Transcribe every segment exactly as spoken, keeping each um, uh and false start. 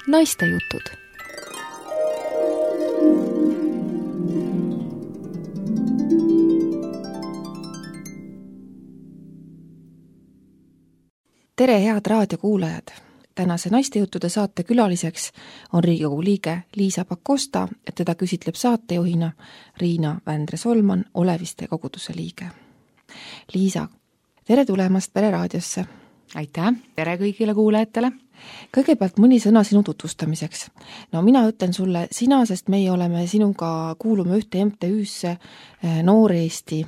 Naistejutud. Tere, head raadiokuulajad! Tänase Naistejuttude saate külaliseks on Riigikogu liige Liisa Pakosta, teda küsitleb saatejuhina Riina Vändre-Solman, Oleviste koguduse liige. Liisa, tere tulemast Pereraadiosse! Aitäh, tere kõigile kuulajatele! Kõigepealt mõni sõna sinu tutvustamiseks. No mina ütlen sulle sina, sest meie oleme sinuga kuulume ühte M T Ü-sse Noor Eesti,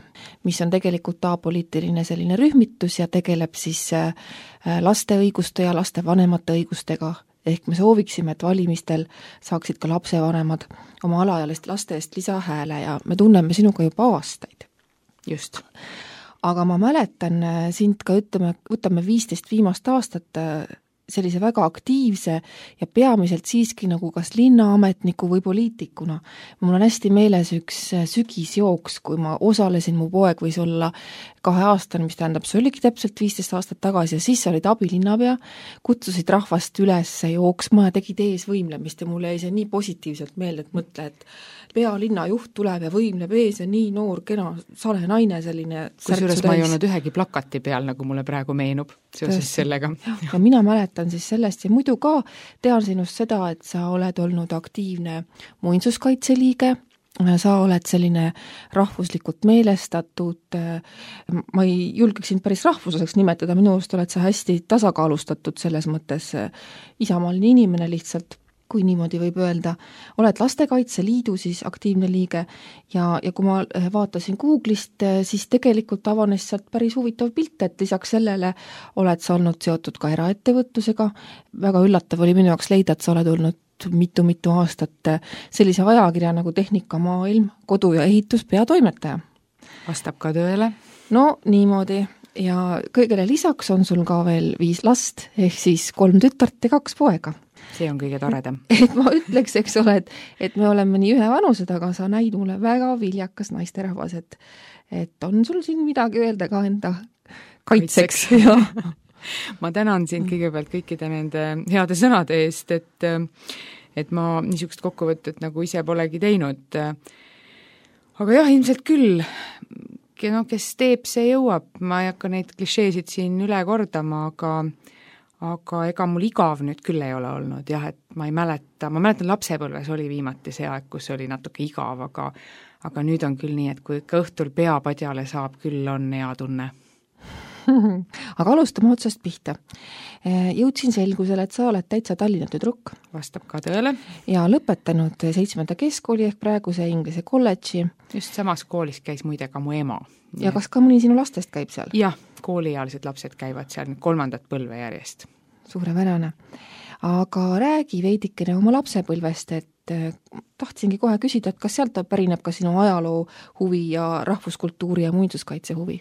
mis on tegelikult apoliitiline selline rühmitus ja tegeleb siis laste õiguste ja laste vanemate õigustega. Ehk me sooviksime, et valimistel saaksid ka lapsevanemad oma alaealist laste eest lisahääle ja me tunneme sinuga juba aastaid. Just. Aga ma mäletan sind ka, ütleme, võtame viisteist viimast aastat sellise väga aktiivse ja peamiselt siiski nagu kas linnaametniku või poliitikuna. Mul on hästi meeles üks sügisjooks, kui ma osalesin, mu poeg võis olla kahe aastane, mis tähendab, see oligi täpselt viisteist aastat tagasi ja siis olid abilinnapea, kutsusid rahvast üles jooksma ja tegid ees võimlemist ja mulle jäi see nii positiivselt meelde, et mõtle, et pealinna juht tuleb ja võimleb ees ja nii noor, kena, sale naine selline. Kusjuures ma ei olnud ühegi plakati peal, nagu mulle praegu meenub seoses Tõesti. Sellega. Ja mina mäletan siis sellest ja muidu ka tean sinust seda, et sa oled olnud aktiivne muinsuskaitseliige, sa oled selline rahvuslikult meelestatud, ma ei julgeks sind päris rahvuslaseks nimetada, minu arust oled sa hästi tasakaalustatud selles mõttes isamaaline inimene lihtsalt, kui niimoodi võib öelda, oled Lastekaitse Liidu siis aktiivne liige ja, ja kui ma vaatasin Google'ist, siis tegelikult avanes sealt päris huvitav pilt, et lisaks sellele oled sa olnud seotud ka eraettevõtlusega. Väga üllatav oli minu jaoks leida, et sa oled olnud mitu-mitu aastat sellise ajakirja nagu Tehnikamaailm, kodu- ja ehitus peatoimetaja. Vastab ka tööle. No niimoodi ja kõigele lisaks on sul ka veel viis last, ehk siis kolm tütart ja kaks poega. See on kõige toredam. Et ma ütleks, eks ole, et, et me oleme nii ühe vanused, aga sa näid mulle väga viljakas naisterahvas, et, et on sul siin midagi öelda ka enda kaitseks. kaitseks. Ma tänan sind kõigepealt kõikide nende heade sõnade eest, et, et ma niisugust kokkuvõtet nagu ise polegi teinud. Aga jah, ilmselt küll, no, kes teeb, see jõuab. Ma ei hakka neid klišeesid siin üle kordama, aga aga ega mul igav nüüd küll ei ole olnud, jah, et ma ei mäleta, ma mäletan lapsepõlves oli viimati see aeg, kus oli natuke igav, aga, aga nüüd on küll nii, et kui ikka õhtul peapadjale saab, küll on hea tunne. Aga alustame otsast pihta. Jõudsin selgusele, et sa oled täitsa Tallinna tüdruk. Vastab ka tööle. Ja lõpetanud seitsmenda keskkooli ehk praeguse Inglise kolledži. Just samas koolis käis muide ka mu ema. Ja kas ka mõni sinu lastest käib seal? Jah, kooliealised lapsed käivad seal kolmandat põlve järjest. Suurepärane. Aga räägi veidikene oma lapsepõlvest, et tahtsingi kohe küsida, et kas sealt pärineb ka sinu ajaloo huvi ja rahvuskultuuri ja muinsuskaitse huvi?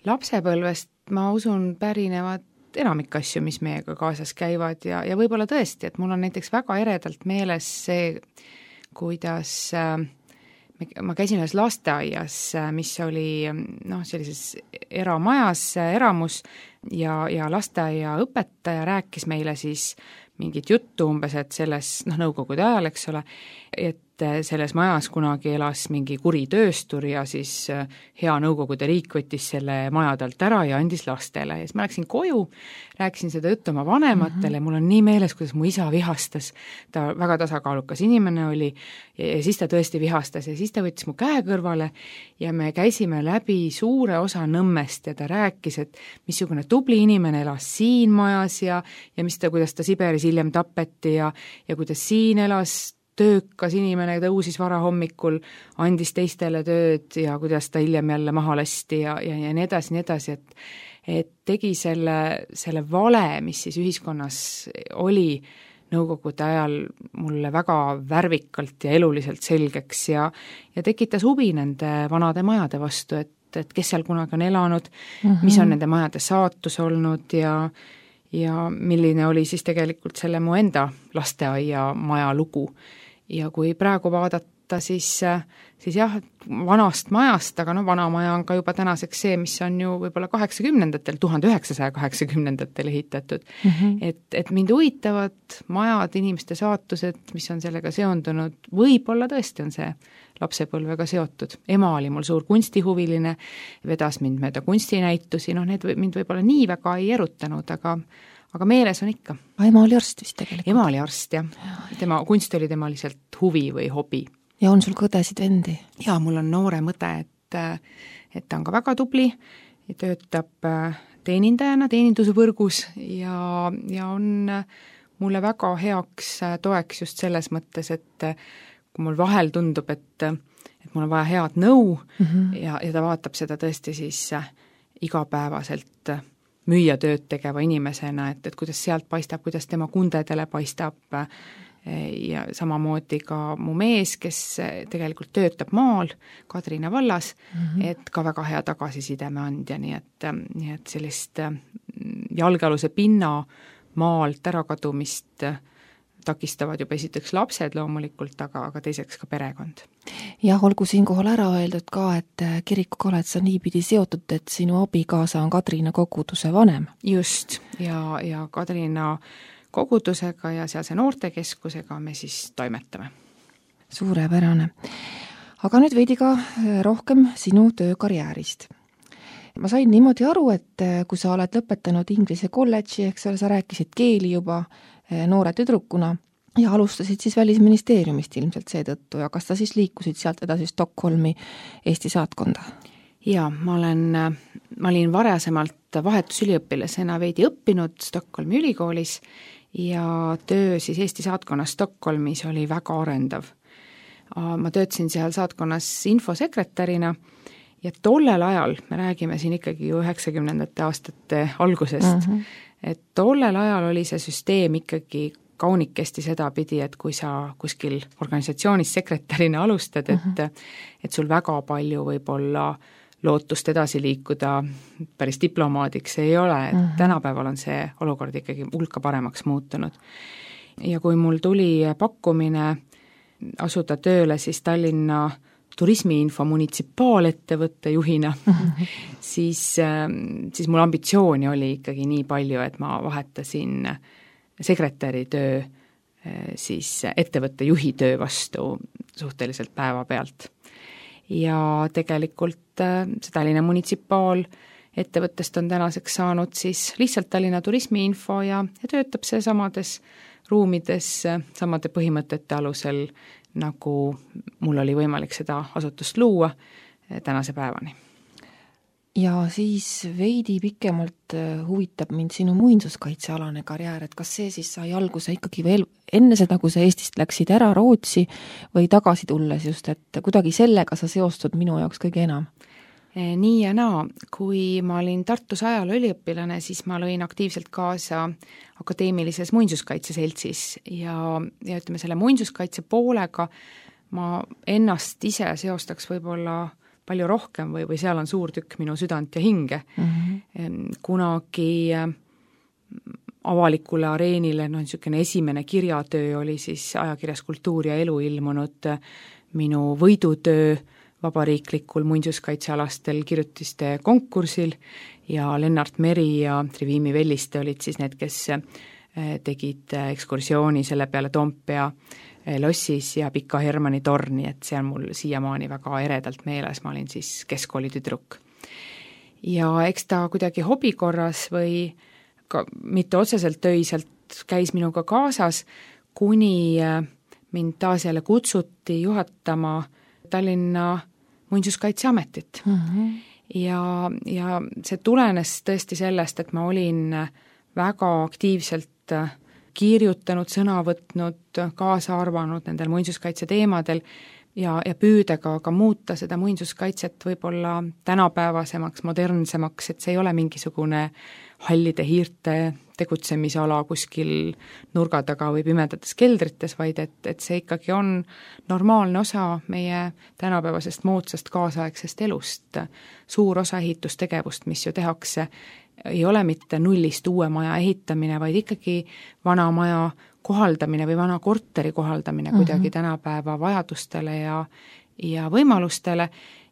Lapsepõlvest ma usun pärinevad enamik asju, mis meiega kaasas käivad ja, ja võib-olla tõesti, et mul on näiteks väga eredalt meeles see, kuidas äh, ma käisin ühes lasteaias, mis oli noh, sellises eramajas, eramus ja, ja lasteaia õpetaja rääkis meile siis mingit juttu umbes, et selles noh, nõukogude ajal, eks ole, et selles majas kunagi elas mingi kuri tööstur ja siis hea nõukogude riik võttis selle majadelt ära ja andis lastele. Ja siis ma läksin koju, rääkisin seda juttu oma vanematele, mm-hmm. mul on nii meeles, kuidas mu isa vihastas, ta väga tasakaalukas inimene oli ja, ja siis ta tõesti vihastas ja siis ta võttis mu käe kõrvale ja me käisime läbi suure osa Nõmmest ja ta rääkis, et missugune tubli inimene elas siin majas ja, ja mis ta, kuidas ta Siberis hiljem tapeti ja, ja kuidas siin elas töökas inimene, tõusis vara hommikul, andis teistele tööd ja kuidas ta hiljem jälle maha lasti ja, ja, ja nii edasi, nii edasi, et, et tegi selle, selle vale, mis siis ühiskonnas oli nõukogude ajal mulle väga värvikalt ja eluliselt selgeks ja, ja tekitas huvi nende vanade majade vastu, et, et kes seal kunagi on elanud, mm-hmm. mis on nende majade saatus olnud ja, ja milline oli siis tegelikult selle mu enda lasteaia maja lugu. Ja kui praegu vaadata vaadata, siis, siis jah, vanast majast, aga no vana maja on ka juba tänaseks see, mis on ju võib-olla kaheksakümnendatel, tuhande üheksasaja kaheksakümnendatel ehitatud. Mm -hmm. et, et mind huvitavad majad, inimeste saatused, mis on sellega seondunud, võib-olla tõesti on see lapsepõlvega seotud. Ema oli mul suur kunstihuviline, vedas mind mööda kunstinäitusi, noh need mind võib-olla nii väga ei erutanud, aga aga meeles on ikka. Ema oli arst vist tegelikult? Ema oli arst, jah. Tema, kunst oli tema lihtsalt huvi või hobi. Ja on sul kõdesid vendi? Jaa, mul on noore õde, et, et ta on ka väga tubli ja töötab teenindajana teenindusvõrgus ja, ja on mulle väga heaks toeks just selles mõttes, et kui mul vahel tundub, et, et mul on vaja head nõu mm -hmm. ja, ja ta vaatab seda tõesti siis igapäevaselt müüa tööd tegeva inimesena, et, et kuidas sealt paistab, kuidas tema kundedele paistab ja samamoodi ka mu mees, kes tegelikult töötab maal Kadrina vallas mm, -hmm. et ka väga hea tagasisideme andja, nii et, nii et sellist jalgealuse pinna maalt ärakadumist takistavad juba esiteks lapsed loomulikult, aga, aga teiseks ka perekond. Jah, olgu siinkohal ära öeldud ka, et kirikuga oled sa niipidi seotud, et sinu abikaasa on Kadrina koguduse vanem. Just, ja, ja Kadrina kogudusega ja sealse noortekeskusega me siis toimetame. Suurepärane. Aga nüüd veidi ka rohkem sinu töökarjäärist. Ma sain niimoodi aru, et kui sa oled lõpetanud Inglise kolledži, eks ole, sa rääkisid keeli juba noore tüdrukuna ja alustasid siis Välisministeeriumist ilmselt seetõttu ja kas sa siis liikusid sealt edasi Stockholmi Eesti saatkonda? Jaa, ma olen, ma olin varasemalt vahetusüliõpilasena veidi õppinud Stockholmi ülikoolis ja töö siis Eesti saatkonnas Stockholmis oli väga arendav. Ma töötasin seal saatkonnas infosekretärina ja tollel ajal, me räägime siin ikkagi ju üheksakümnendate aastate algusest, mm -hmm. et tollel ajal oli see süsteem ikkagi kaunikesti sedapidi, et kui sa kuskil organisatsioonis sekretärina alustad, et, mm -hmm. et sul väga palju võib-olla lootust edasi liikuda päris diplomaadiks ei ole, et mm -hmm. tänapäeval on see olukord ikkagi hulka paremaks muutunud. Ja kui mul tuli pakkumine asuda tööle siis Tallinna turismiinfo munitsipaalettevõtte juhina, mm-hmm. siis, siis mul ambitsiooni oli ikkagi nii palju, et ma vahetasin sekretäri töö siis ettevõtte juhi töö vastu suhteliselt päevapealt. Ja tegelikult see Tallinna munitsipaal ettevõttest on tänaseks saanud siis lihtsalt Tallinna turismiinfo ja, ja töötab see samades ruumides, samade põhimõtete alusel, nagu mul oli võimalik seda asutust luua tänase päevani. Ja siis veidi pikemalt huvitab mind sinu muinsuskaitsealane karjäär, et kas see siis sai alguse ikkagi veel enne seda, kui sa Eestist läksid ära Rootsi või tagasi tulles just, et kuidagi sellega sa seostud minu jaoks kõige enam? Nii ja naa, kui ma olin Tartus ajaloo üliõpilane, siis ma lõin aktiivselt kaasa akadeemilises muinsuskaitseseltsis ja, ja ütleme selle muinsuskaitse poolega ma ennast ise seostaks võib-olla palju rohkem või, või seal on suur tükk minu südant ja hinge. Mm-hmm. Kunagi avalikule areenile, no niisugune esimene kirjatöö oli siis ajakirjas Kultuur ja elu ilmunud minu võidutöö vabariiklikul muinsuskaitsealastel kirjutiste konkursil ja Lennart Meri ja Trivimi Velliste olid siis need, kes tegid ekskursiooni selle peale Toompea lossis ja Pika Hermanni torni, et see on mul siiamaani väga eredalt meeles, ma olin siis keskkooli tüdruk. Ja eks ta kuidagi hobikorras või ka mitte otseselt töiselt käis minuga kaasas, kuni mind taas jälle kutsuti juhatama Tallinna muinsuskaitseametit. Mm-hmm. Ja, ja see tulenes tõesti sellest, et ma olin väga aktiivselt kirjutanud, sõna võtnud, kaasa arvanud nendel muinsuskaitse teemadel ja, ja püüdega ka muuta seda muinsuskaitset võib-olla tänapäevasemaks, modernsemaks, et see ei ole mingisugune hallide hiirte tegutsemisala kuskil nurga taga või pimedates keldrites, vaid et, et see ikkagi on normaalne osa meie tänapäevasest moodsast kaasaegsest elust. Suur osa ehitustegevust, mis ju tehakse, ei ole mitte nullist uue maja ehitamine, vaid ikkagi vana maja kohaldamine või vana korteri kohaldamine kuidagi mm -hmm. tänapäeva vajadustele ja, ja võimalustele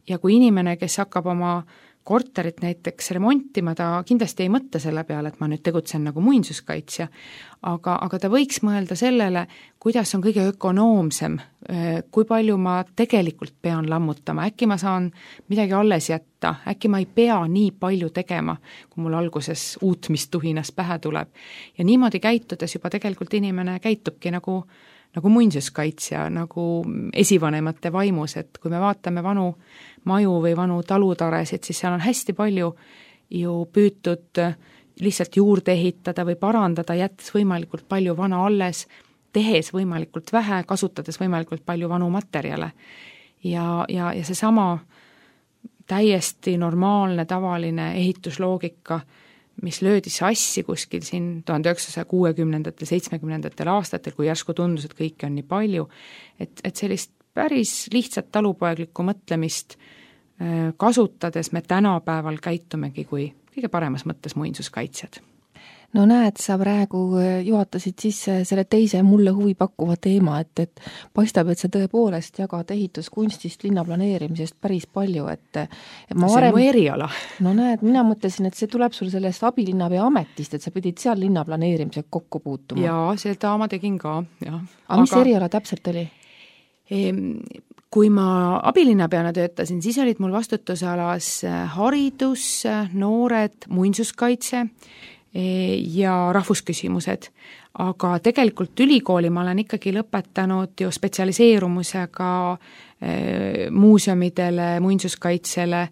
ja kui inimene, kes hakkab oma korterit näiteks remontima, ta kindlasti ei mõtle selle peale, et ma nüüd tegutsen nagu muinsuskaitsja, aga, aga ta võiks mõelda sellele, kuidas on kõige ökonoomsem, kui palju ma tegelikult pean lammutama, äkki ma saan midagi alles jätta, äkki ma ei pea nii palju tegema, kui mul alguses uutmistuhinas pähe tuleb. Ja niimoodi käitudes juba tegelikult inimene käitubki nagu, nagu muinsuskaitsja, nagu esivanemate vaimus, et kui me vaatame vanu maju või vanu talutaresid, siis seal on hästi palju ju püütud lihtsalt juurde ehitada või parandada, jättes võimalikult palju vana alles, tehes võimalikult vähe, kasutades võimalikult palju vanu materjale. Ja, ja, ja seesama täiesti normaalne, tavaline ehitusloogika, mis löödi sassi kuskil siin tuhande üheksasaja kuuekümnendatel, seitsmekümnendatel aastatel, kui järsku tundus, et kõike on nii palju, et, et sellist päris lihtsat talupoeglikku mõtlemist kasutades me tänapäeval käitumegi kui kõige paremas mõttes muinsuskaitsjad. No näed, sa praegu juhatasid sisse selle teise mulle huvi pakkuva teema, et, et paistab, et sa tõepoolest jagad ehituskunstist, linnaplaneerimisest päris palju, et, et ma see varem, on mu eriala. No näed, mina mõtlesin, et see tuleb sul sellest abilinnapea ametist, et sa pidid seal linnaplaneerimisega kokku puutuma. Jaa, seda ma tegin ka, jah. Aga mis eriala täpselt oli? Kui ma abilinnapeana töötasin, siis olid mul vastutusalas haridus, noored, muinsuskaitse ja rahvusküsimused. Aga tegelikult ülikooli ma olen ikkagi lõpetanud ju spetsialiseerumusega muuseumidele, muinsuskaitsele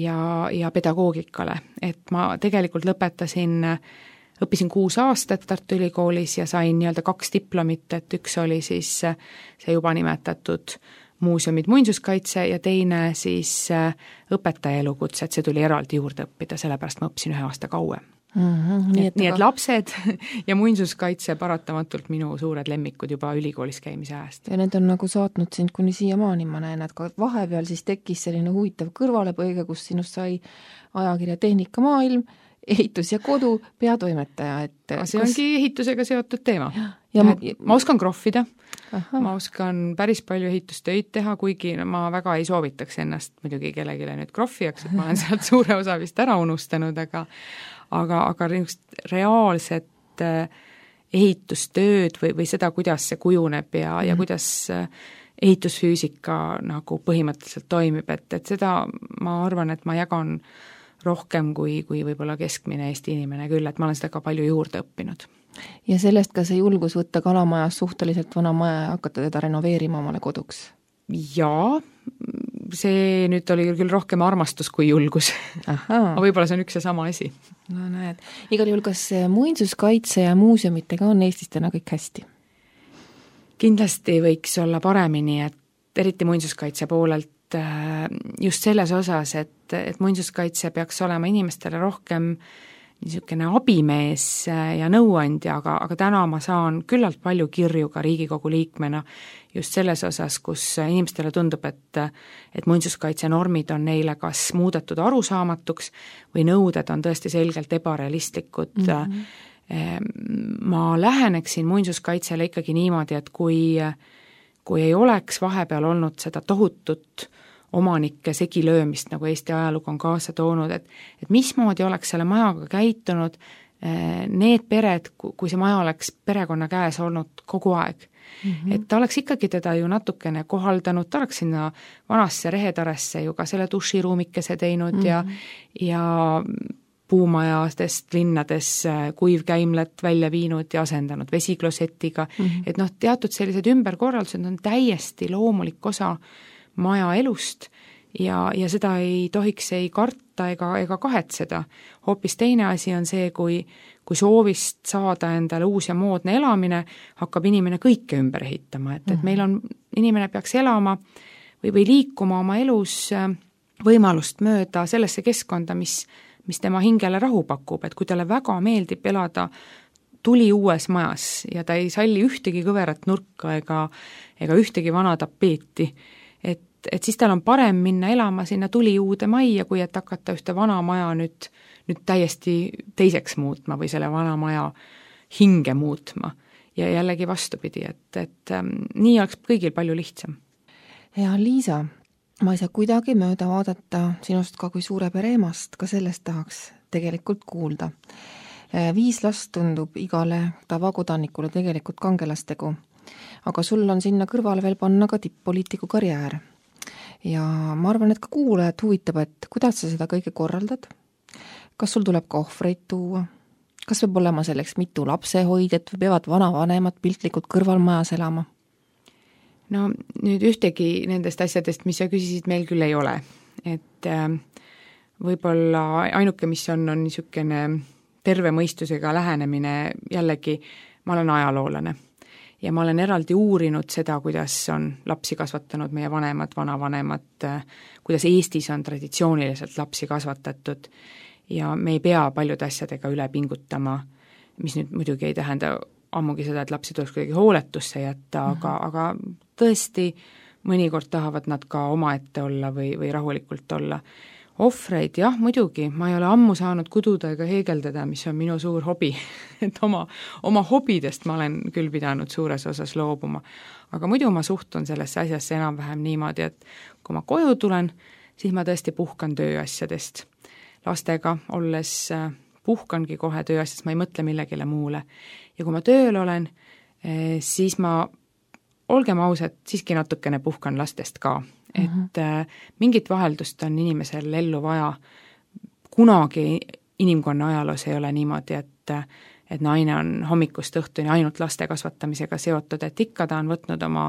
ja, ja pedagoogikale. Et ma tegelikult lõpetasin, õppisin kuus aastat Tartu Ülikoolis ja sain nii-öelda kaks diplomit, et üks oli siis see juba nimetatud muuseumid muinsuskaitse ja teine siis õpetaja elukutse, et see tuli eraldi juurde õppida, sellepärast ma õppisin ühe aasta kauem. Mm-hmm, nii, et, nii et lapsed ja muinsuskaitse paratamatult minu suured lemmikud juba ülikoolis käimise ajast. Ja need on nagu saatnud sind kuni siiamaani, ma näen, et ka vahepeal siis tekkis selline huvitav kõrvalepõige, kus sinust sai ajakirja Tehnikamaailm, ehitus ja kodu peatoimetaja. Et see kas... ongi ehitusega seotud teema. Ja, ja ma, ma oskan krohvida, aha. ma oskan päris palju ehitustöid teha, kuigi ma väga ei soovitaks ennast muidugi kellegile nüüd krohvijaks, et ma olen sealt suure osa vist ära unustanud, aga aga, aga reaalset ehitustööd või, või seda, kuidas see kujuneb ja, mm. ja kuidas ehitusfüüsika nagu põhimõtteliselt toimib, et, et seda ma arvan, et ma jagan rohkem kui, kui võib-olla keskmine Eesti inimene küll, et ma olen seda ka palju juurde õppinud. Ja sellest ka see julgus võtta Kalamajas suhteliselt vana maja ja hakata teda renoveerima omale koduks? Jaa, see nüüd oli küll rohkem armastus kui julgus. Aga võib-olla see on üks ja sama asi. No näed. Igal juhul, kas muinsuskaitse ja muuseumitega on Eestis täna kõik hästi? Kindlasti võiks olla paremini, et eriti muinsuskaitse poolelt just selles osas, et, et muinsuskaitse peaks olema inimestele rohkem niisugune abimees ja nõuandja, aga, aga täna ma saan küllalt palju kirju ka Riigikogu liikmena just selles osas, kus inimestele tundub, et, et muinsuskaitse normid on neile kas muudetud arusaamatuks või nõuded on tõesti selgelt ebarealistlikud. Mm-hmm. Ma läheneksin muinsuskaitsele ikkagi niimoodi, et kui, kui ei oleks vahepeal olnud seda tohutut omanike segilöömist, nagu Eesti ajalugu on kaasa toonud, et, et mismoodi oleks selle majaga käitunud need pered, kui see maja oleks perekonna käes olnud kogu aeg. Mm-hmm. Et ta oleks ikkagi teda ju natukene kohaldanud, ta oleks sinna vanasse rehetaresse ju ka selle duširuumikese teinud mm-hmm. ja, ja puumajadest linnades kuivkäimlat välja viinud ja asendanud vesiklosetiga. Mm-hmm. Et noh, teatud sellised ümberkorraldused on täiesti loomulik osa maja elust ja, ja seda ei tohiks ei karta ega, ega kahetseda. Hoopis teine asi on see, kui, kui soovist saada endale uus ja moodne elamine, hakkab inimene kõike ümber ehitama, et, et meil on, inimene peaks elama või, või liikuma oma elus võimalust mööda sellesse keskkonda, mis, mis tema hingele rahu pakub, et kui talle väga meeldib elada tuli uues majas ja ta ei salli ühtegi kõverat nurka ega, ega ühtegi vana tapeeti, et et siis tal on parem minna elama sinna tuli uude majja, kui et hakata ühte vana maja nüüd, nüüd täiesti teiseks muutma või selle vana maja hinge muutma. ja jällegi vastupidi, et, et ähm, nii oleks kõigil palju lihtsam. Ja Liisa, ma ei saa kuidagi mööda vaadata sinust ka kui suure pere emast, ka sellest tahaks tegelikult kuulda. Viis last tundub igale tavakodanikule tegelikult kangelastegu, aga sul on sinna kõrvale veel panna ka tipp-poliitiku karjäär. Ja ma arvan, et ka kuulajad huvitab, et kuidas sa seda kõige korraldad, kas sul tuleb ka ohvreid tuua, kas peab olema selleks mitu lapsehoidjat või peavad vanavanemad piltlikult kõrvalmajas elama? No nüüd ühtegi nendest asjadest, mis sa küsisid, meil küll ei ole. Et võib-olla ainuke, mis on, on niisugune terve mõistusega lähenemine, jällegi ma olen ajaloolane ja ma olen eraldi uurinud seda, kuidas on lapsi kasvatanud meie vanemad, vanavanemad, kuidas Eestis on traditsiooniliselt lapsi kasvatatud ja me ei pea paljude asjadega üle pingutama, mis nüüd muidugi ei tähenda ammugi seda, et lapsi tuleks kuidagi hooletusse jätta, mm-hmm. aga, aga tõesti mõnikord tahavad nad ka omaette olla või, või rahulikult olla. Ohvreid, jah, muidugi, ma ei ole ammu saanud kududa ega heegeldada, mis on minu suur hobi, et oma, oma hobidest ma olen küll pidanud suures osas loobuma. Aga muidu ma suhtun sellesse asjasse enam-vähem niimoodi, et kui ma koju tulen, siis ma tõesti puhkan tööasjadest. Lastega olles puhkangi kohe tööasjast, ma ei mõtle millegile muule. Ja kui ma tööl olen, siis ma, olgem ausad, siiski natukene puhkan lastest ka. Et mm-hmm. mingit vaheldust on inimesel ellu vaja. Kunagi inimkonna ajaloos ei ole niimoodi, et, et naine on hommikust õhtuni ainult laste kasvatamisega seotud, et ikka ta on võtnud oma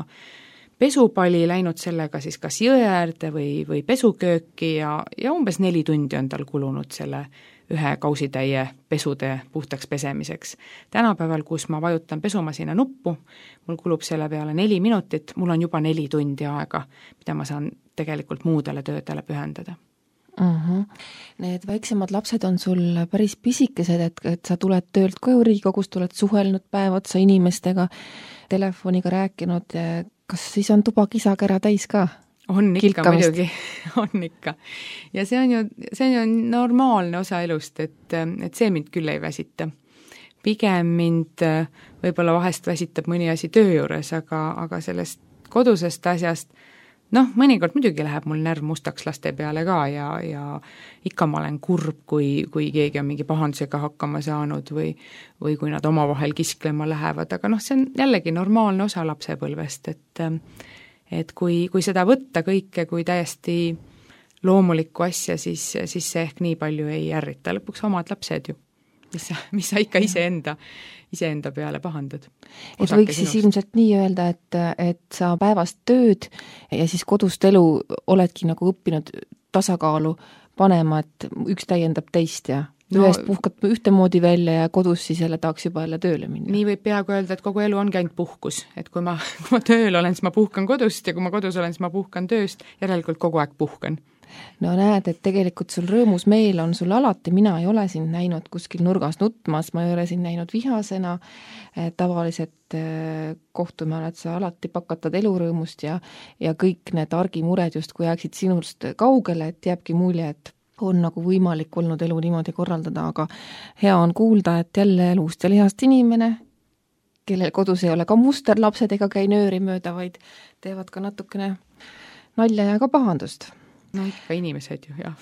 pesupali, läinud sellega siis kas jõe äärde või, või pesukööki ja, ja umbes neli tundi on tal kulunud selle ühe kausitäie pesude puhtaks pesemiseks. Tänapäeval, kus ma vajutan pesumasina nuppu, mul kulub selle peale neli minutit, mul on juba neli tundi aega, mida ma saan tegelikult muudele töödele pühendada. Uh-huh. Need väiksemad lapsed on sul päris pisikesed, et, et sa tuled töölt koju Riigikogust, oled suhelnud päev otsa inimestega, telefoniga rääkinud, kas siis on tuba kisakera täis ka? On ikka muidugi, on ikka. Ja see on ju, see on ju normaalne osa elust, et, et see mind küll ei väsita. Pigem mind võib-olla vahest väsitab mõni asi töö juures, aga, aga sellest kodusest asjast, noh, mõnikord muidugi läheb mul närv mustaks laste peale ka ja, ja ikka ma olen kurb, kui, kui keegi on mingi pahandusega hakkama saanud või, või kui nad omavahel kisklema lähevad, aga noh, see on jällegi normaalne osa lapsepõlvest, et et kui, kui seda võtta kõike kui täiesti loomulikku asja, siis, siis see ehk nii palju ei ärrita. Lõpuks omad lapsed ju, mis sa, mis sa ikka iseenda, iseenda peale pahandad. Et võiks siis ilmselt nii öelda, et, et sa päevast tööd ja siis kodust elu oledki nagu õppinud tasakaalu panema, et üks täiendab teist ja no, ühest puhkad ühtemoodi välja ja kodus siis jälle tahaks juba jälle tööle minna. Nii võib peaaegu öelda, et kogu elu ongi ainult puhkus, et kui ma, kui ma tööl olen, siis ma puhkan kodust ja kui ma kodus olen, siis ma puhkan tööst, järelikult kogu aeg puhkan. No näed, et tegelikult sul rõõmus meel on sul alati, mina ei ole sind näinud kuskil nurgas nutmas, ma ei ole sind näinud vihasena, tavaliselt kohtume oled sa alati pakatad elurõõmust ja, ja kõik need argimured just, kui jääksid sinust kaugele, et jääbki mulje, et on nagu võimalik olnud elu niimoodi korraldada, aga hea on kuulda, et jälle luust ja lihast inimene, kellel kodus ei ole ka musterlapsed ega käi nööri mööda, vaid teevad ka natukene nalja ja ka pahandust. No ikka inimesed ju, jah.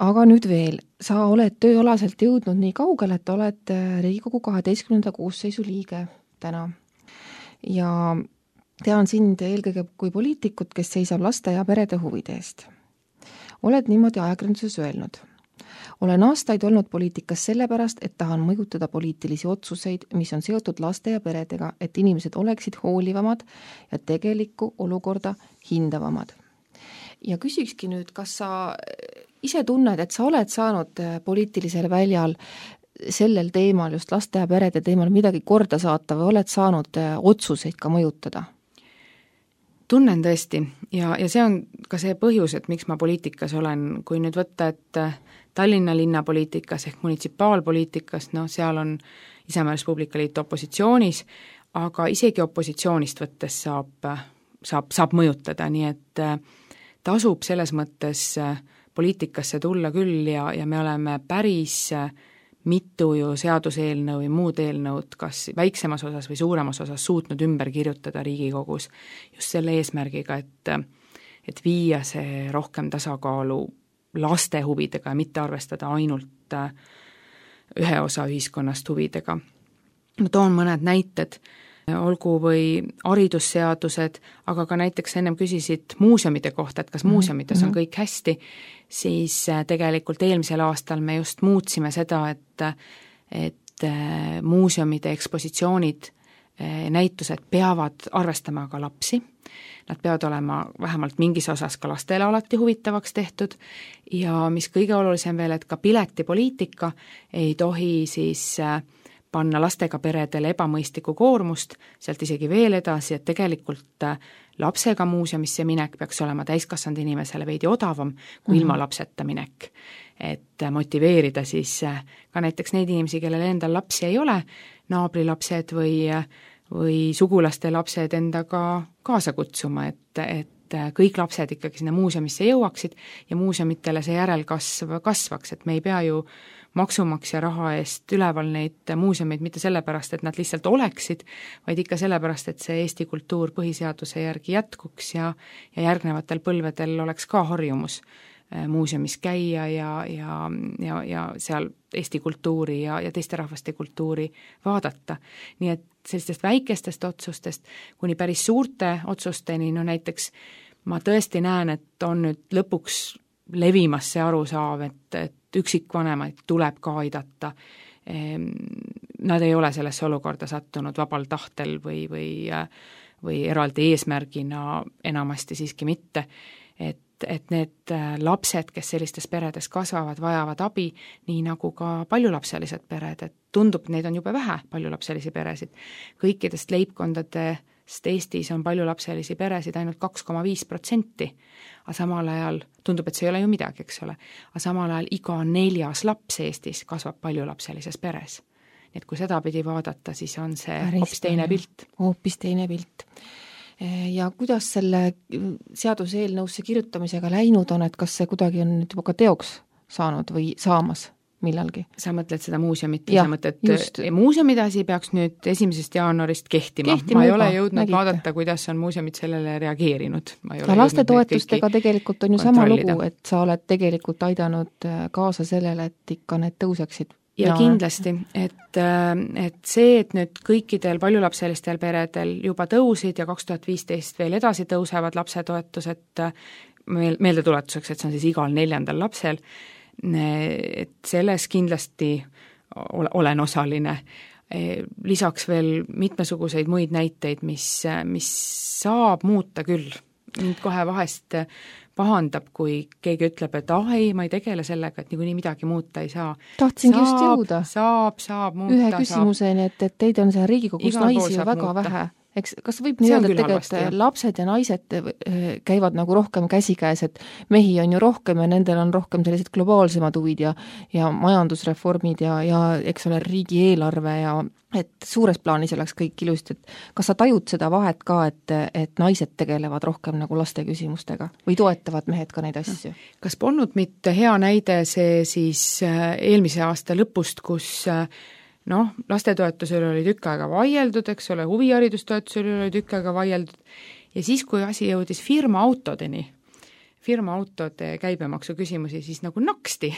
Aga nüüd veel, sa oled tööalaselt jõudnud nii kaugele, et oled Riigikogu kaheteistkümnenda koosseisu liige täna. Ja tean sind eelkõige kui poliitikut, kes seisab laste ja perede huvide eest. Oled niimoodi ajakirjanduses öelnud. Olen aastaid olnud poliitikas sellepärast, et tahan mõjutada poliitilisi otsuseid, mis on seotud laste ja peredega, et inimesed oleksid hoolivamad ja tegelikku olukorda hindavamad. Ja küsikski nüüd, kas sa ise tunned, et sa oled saanud poliitilisel väljal sellel teemal, just laste ja perede teemal midagi korda saata või oled saanud otsuseid ka mõjutada? Tunnen tõesti ja, ja see on ka see põhjus, et miks ma poliitikas olen, kui nüüd võtta, et Tallinna linnapoliitikas ehk munitsipaalpoliitikas, no seal on Isamaa Res Publica Liit opositsioonis, aga isegi opositsioonist võttes saab, saab, saab mõjutada, nii et tasub selles mõttes poliitikasse tulla küll ja, ja me oleme päris mitu ju seaduseelnõu või muud eelnõud kas väiksemas osas või suuremas osas suutnud ümber kirjutada Riigikogus just selle eesmärgiga, et, et viia see rohkem tasakaalu laste huvidega ja mitte arvestada ainult ühe osa ühiskonnast huvidega. Ma toon mõned näited, olgu või haridusseadused, aga ka näiteks ennem küsisid muuseumide kohta, et kas muuseumides on kõik hästi, siis tegelikult eelmisel aastal me just muutsime seda, et, et muuseumide ekspositsioonid, näitused peavad arvestama ka lapsi. Nad peavad olema vähemalt mingis osas ka lastele alati huvitavaks tehtud ja mis kõige olulisem veel, et ka piletipoliitika ei tohi siis panna lastega peredele ebamõistlikku koormust, sealt isegi veel edasi, et tegelikult lapsega muuseumisse minek peaks olema täiskasvanud inimesele veidi odavam kui mm-hmm. ilma lapseta minek. Et motiveerida siis ka näiteks neid inimesi, kellel endal lapsi ei ole, naabrilapsed või, või sugulaste lapsed endaga kaasa kutsuma, et, et kõik lapsed ikkagi sinna muuseumisse jõuaksid ja muuseumitele see järelkasv kasvaks, et me ei pea ju maksumaksja raha eest üleval neid muuseumeid mitte sellepärast, et nad lihtsalt oleksid, vaid ikka sellepärast, et see Eesti kultuur põhiseaduse järgi jätkuks ja, ja järgnevatel põlvedel oleks ka harjumus muuseumis käia ja, ja, ja, ja seal Eesti kultuuri ja, ja teiste rahvaste kultuuri vaadata. Nii et sellistest väikestest otsustest kuni päris suurte otsusteni, no näiteks ma tõesti näen, et on nüüd lõpuks levimas see arusaav, et, et üksikvanemaid tuleb ka aidata. Nad ei ole sellesse olukorda sattunud vabal tahtel või, või, või eraldi eesmärgina enamasti siiski mitte, et, et need lapsed, kes sellistes peredes kasvavad, vajavad abi, nii nagu ka paljulapselised pered, et tundub, neid on jube vähe paljulapselisi peresid. Kõikidest leibkondadest Eestis on paljulapselisi peresid ainult kaks koma viis protsenti, aga samal ajal tundub, et see ei ole ju midagi, eks ole, aga samal ajal iga neljas laps Eestis kasvab paljulapselises peres. Nii et kui seda pidi vaadata, siis on see hoopis teine pilt. Hoopis teine pilt. Ja kuidas selle seaduseelnõusse kirjutamisega läinud on, et kas see kuidagi on nüüd juba ka teoks saanud või saamas millalgi? Sa mõtled seda muuseumit, sa mõtled, muuseumide asi peaks nüüd esimesest jaanuarist kehtima. Kehtima ma ei ole jõudnud nägite. Vaadata, kuidas on muuseumid sellele reageerinud. Ja laste toetustega tegelikult on ju sama lugu, et sa oled tegelikult aidanud kaasa sellele, et ikka need tõuseksid. Ja, ja kindlasti, et, et see, et nüüd kõikidel paljulapselistel peredel juba tõusid ja kaks tuhat viisteist veel edasi tõusevad lapsetoetused meeldetuletuseks, et see on siis igal neljandal lapsel, et selles kindlasti olen osaline. Lisaks veel mitmesuguseid muid näiteid, mis, mis saab muuta küll. Mind kohe vahest pahandab, kui keegi ütleb, et ah ei, ma ei tegele sellega, et niikuinii midagi muuta ei saa. Tahtsingi saab, just jõuda. Saab, saab muuta. Ühe küsimuseni, et, et teid on seal Riigikogus Igal naisi väga muuta. Vähe. Eks, kas võib nii öelda, et tegelikult lapsed ja naised käivad nagu rohkem käsikäes, et mehi on ju rohkem ja nendel on rohkem sellised globaalsemad huvid ja, ja majandusreformid ja, ja eks ole riigieelarve ja et suures plaanis oleks kõik ilusti, et kas sa tajud seda vahet ka, et, et naised tegelevad rohkem nagu laste küsimustega või toetavad mehed ka neid asju? Kas polnud mitte hea näide see siis eelmise aasta lõpust, kus noh, lastetoetusel oli tükk aega vaieldud, eks ole, huviharidustoetusel oli tükk aega vaieldud ja siis, kui asi jõudis firma autodeni, firma autode käibemaksu küsimusi, siis nagu naksti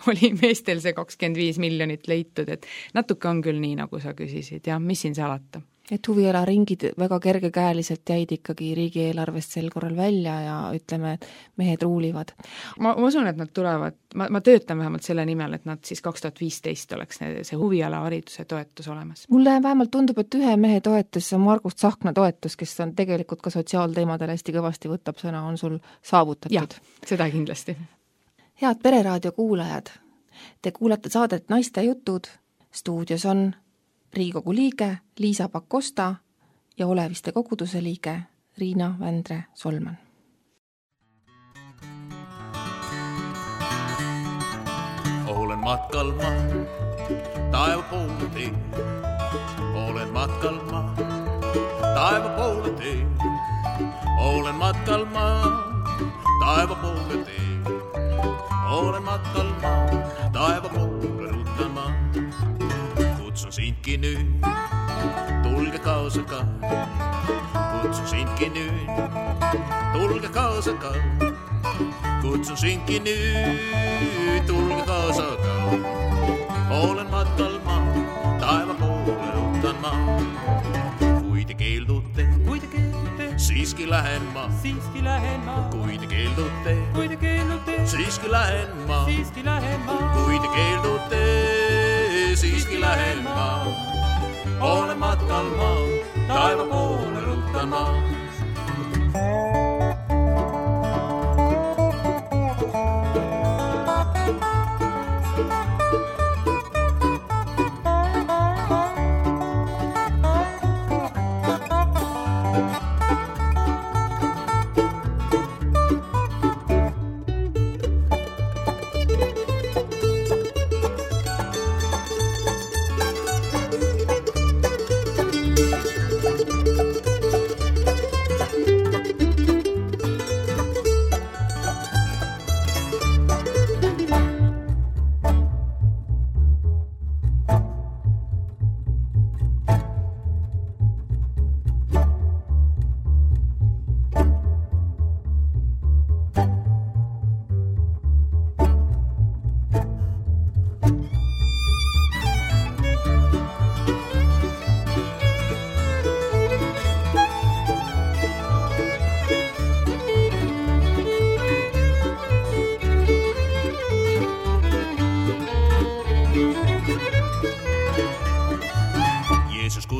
oli meestel see kakskümmend viis miljonit leitud, et natuke on küll nii, nagu sa küsisid ja mis siin salata. Et huvialaringid väga kergekäeliselt jäid ikkagi riigieelarvest sel korral välja ja ütleme, et mehed ruulivad. Ma, ma usun, et nad tulevad, ma, ma töötan vähemalt selle nimel, et nad siis kaks tuhat viisteist oleks see huviala hariduse toetus olemas. Mulle vähemalt tundub, et ühe mehe toetus, Margus Tsahkna toetus, kes on tegelikult ka sotsiaalteemadel hästi kõvasti võtab sõna, on sul saavutatud. Jah, seda kindlasti. Head Pereraadio kuulajad, te kuulate saadet Naiste jutud, stuudios on Riigikogu liige Liisa Pakosta ja Oleviste koguduse liige Riina Vändre-Solman. Olen matkal ma, taeva poole tee. Olen matkal ma, taeva poole tee. Olen matkal ma, taeva poole tee. Olen matkal ma, taeva poole ruutan ma. kutsun sindki nüüd, tulge kaasa ka. Kutsun sindki nüüd, tulge kaasa ka. Kutsun sindki nüüd, tulge kaasa ka. Olen matkal ma, taeva poole rutan ma. Kui te keeldute, kui te keeldute, siiski lähen ma. siiski lähen ma. Kui te keeldute, kui te keeldute, siiski lähen ma. siiski lähen ma. Kui te keeldute, siiski lähen ma. Olen matkal ma, taeva poole rutan ma.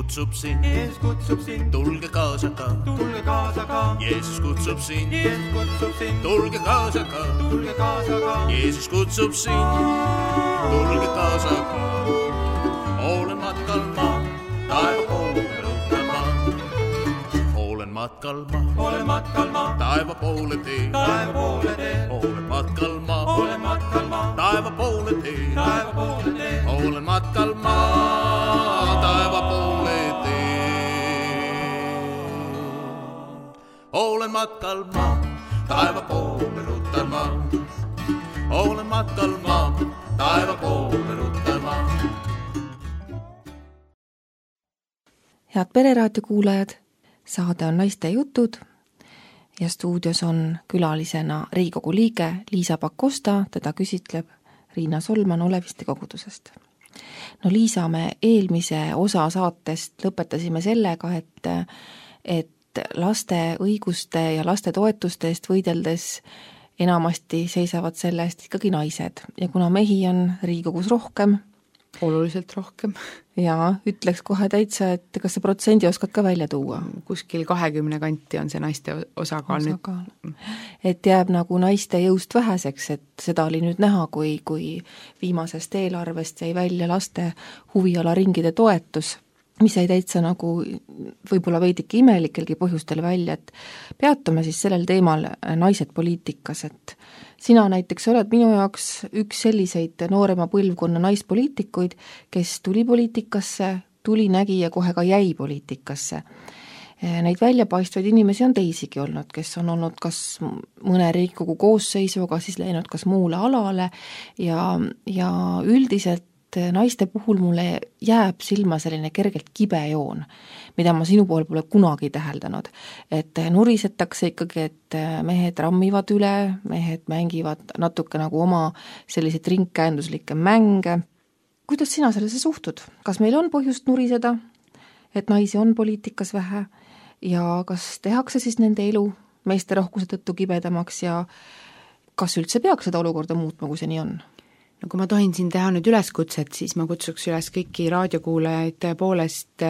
kutsub sind, Jeesus kutsub sind, tulge kaasa ka, tulge kaasa ka, Jeesus kutsub sind, Jeesus kutsub sind, tulge kaasa ka, tulge kaasa ka, Jeesus kutsub sind, tulge kaasa ka. Olen matkal ma, taeva poole ruttan ma. Olen matkal ma, olen matkal ma, taeva poole tee, taeva poole tee, olen matkal ma, olen matkal ma, taeva poole tee, taeva poole tee, olen matkal ma, taeva poole tee. Olen matkal ma, taeva poole ruttan ma. Olen matkal ma, taeva poole ruttan ma. Head Pereraadio kuulajad, saade on Naiste jutud ja stuudios on külalisena Riigikogu liige Liisa Pakosta, teda küsitleb Riina Solman Oleviste kogudusest. No Liisa, me eelmise osa saatest lõpetasime sellega, et, et laste õiguste ja laste toetuste eest võideldes enamasti seisavad selle eest ikkagi naised ja kuna mehi on Riigikogus rohkem, oluliselt rohkem. Ja ütleks kohe täitsa, et kas see protsendi oskad ka välja tuua? Kuskil kahekümne kanti on see naiste osakaal, osakaal. nüüd. Et jääb nagu naiste jõust väheseks, et seda oli nüüd näha, kui, kui viimasest eelarvest jäi välja laste huvialaringide toetus, mis jäi täitsa nagu võib-olla veidike imelikelgi põhjustel välja, et peatume siis sellel teemal naised poliitikas, et sina näiteks oled minu jaoks üks selliseid noorema põlvkonna naispoliitikuid, kes tuli poliitikasse, tuli, nägi ja kohe ka jäi poliitikasse. Neid väljapaistvaid inimesi on teisigi olnud, kes on olnud kas mõne Riigikogu koosseisuga, siis läinud kas muule alale ja, ja üldiselt naiste puhul mulle jääb silma selline kergelt kibe joon, mida ma sinu pool pole kunagi täheldanud. Et nurisetakse ikkagi, et mehed rammivad üle, mehed mängivad natuke nagu oma selliseid ringkäenduslikke mänge. Kuidas sina sellesse suhtud? Kas meil on põhjust nuriseda, et naisi on poliitikas vähe ja kas tehakse siis nende elu meeste rohkuse tõttu kibedamaks ja kas üldse peaks seda olukorda muutma, kui see nii on? No kui ma tohin siin teha nüüd üleskutset, siis ma kutsuks üles kõiki raadiokuulajaid tõepoolest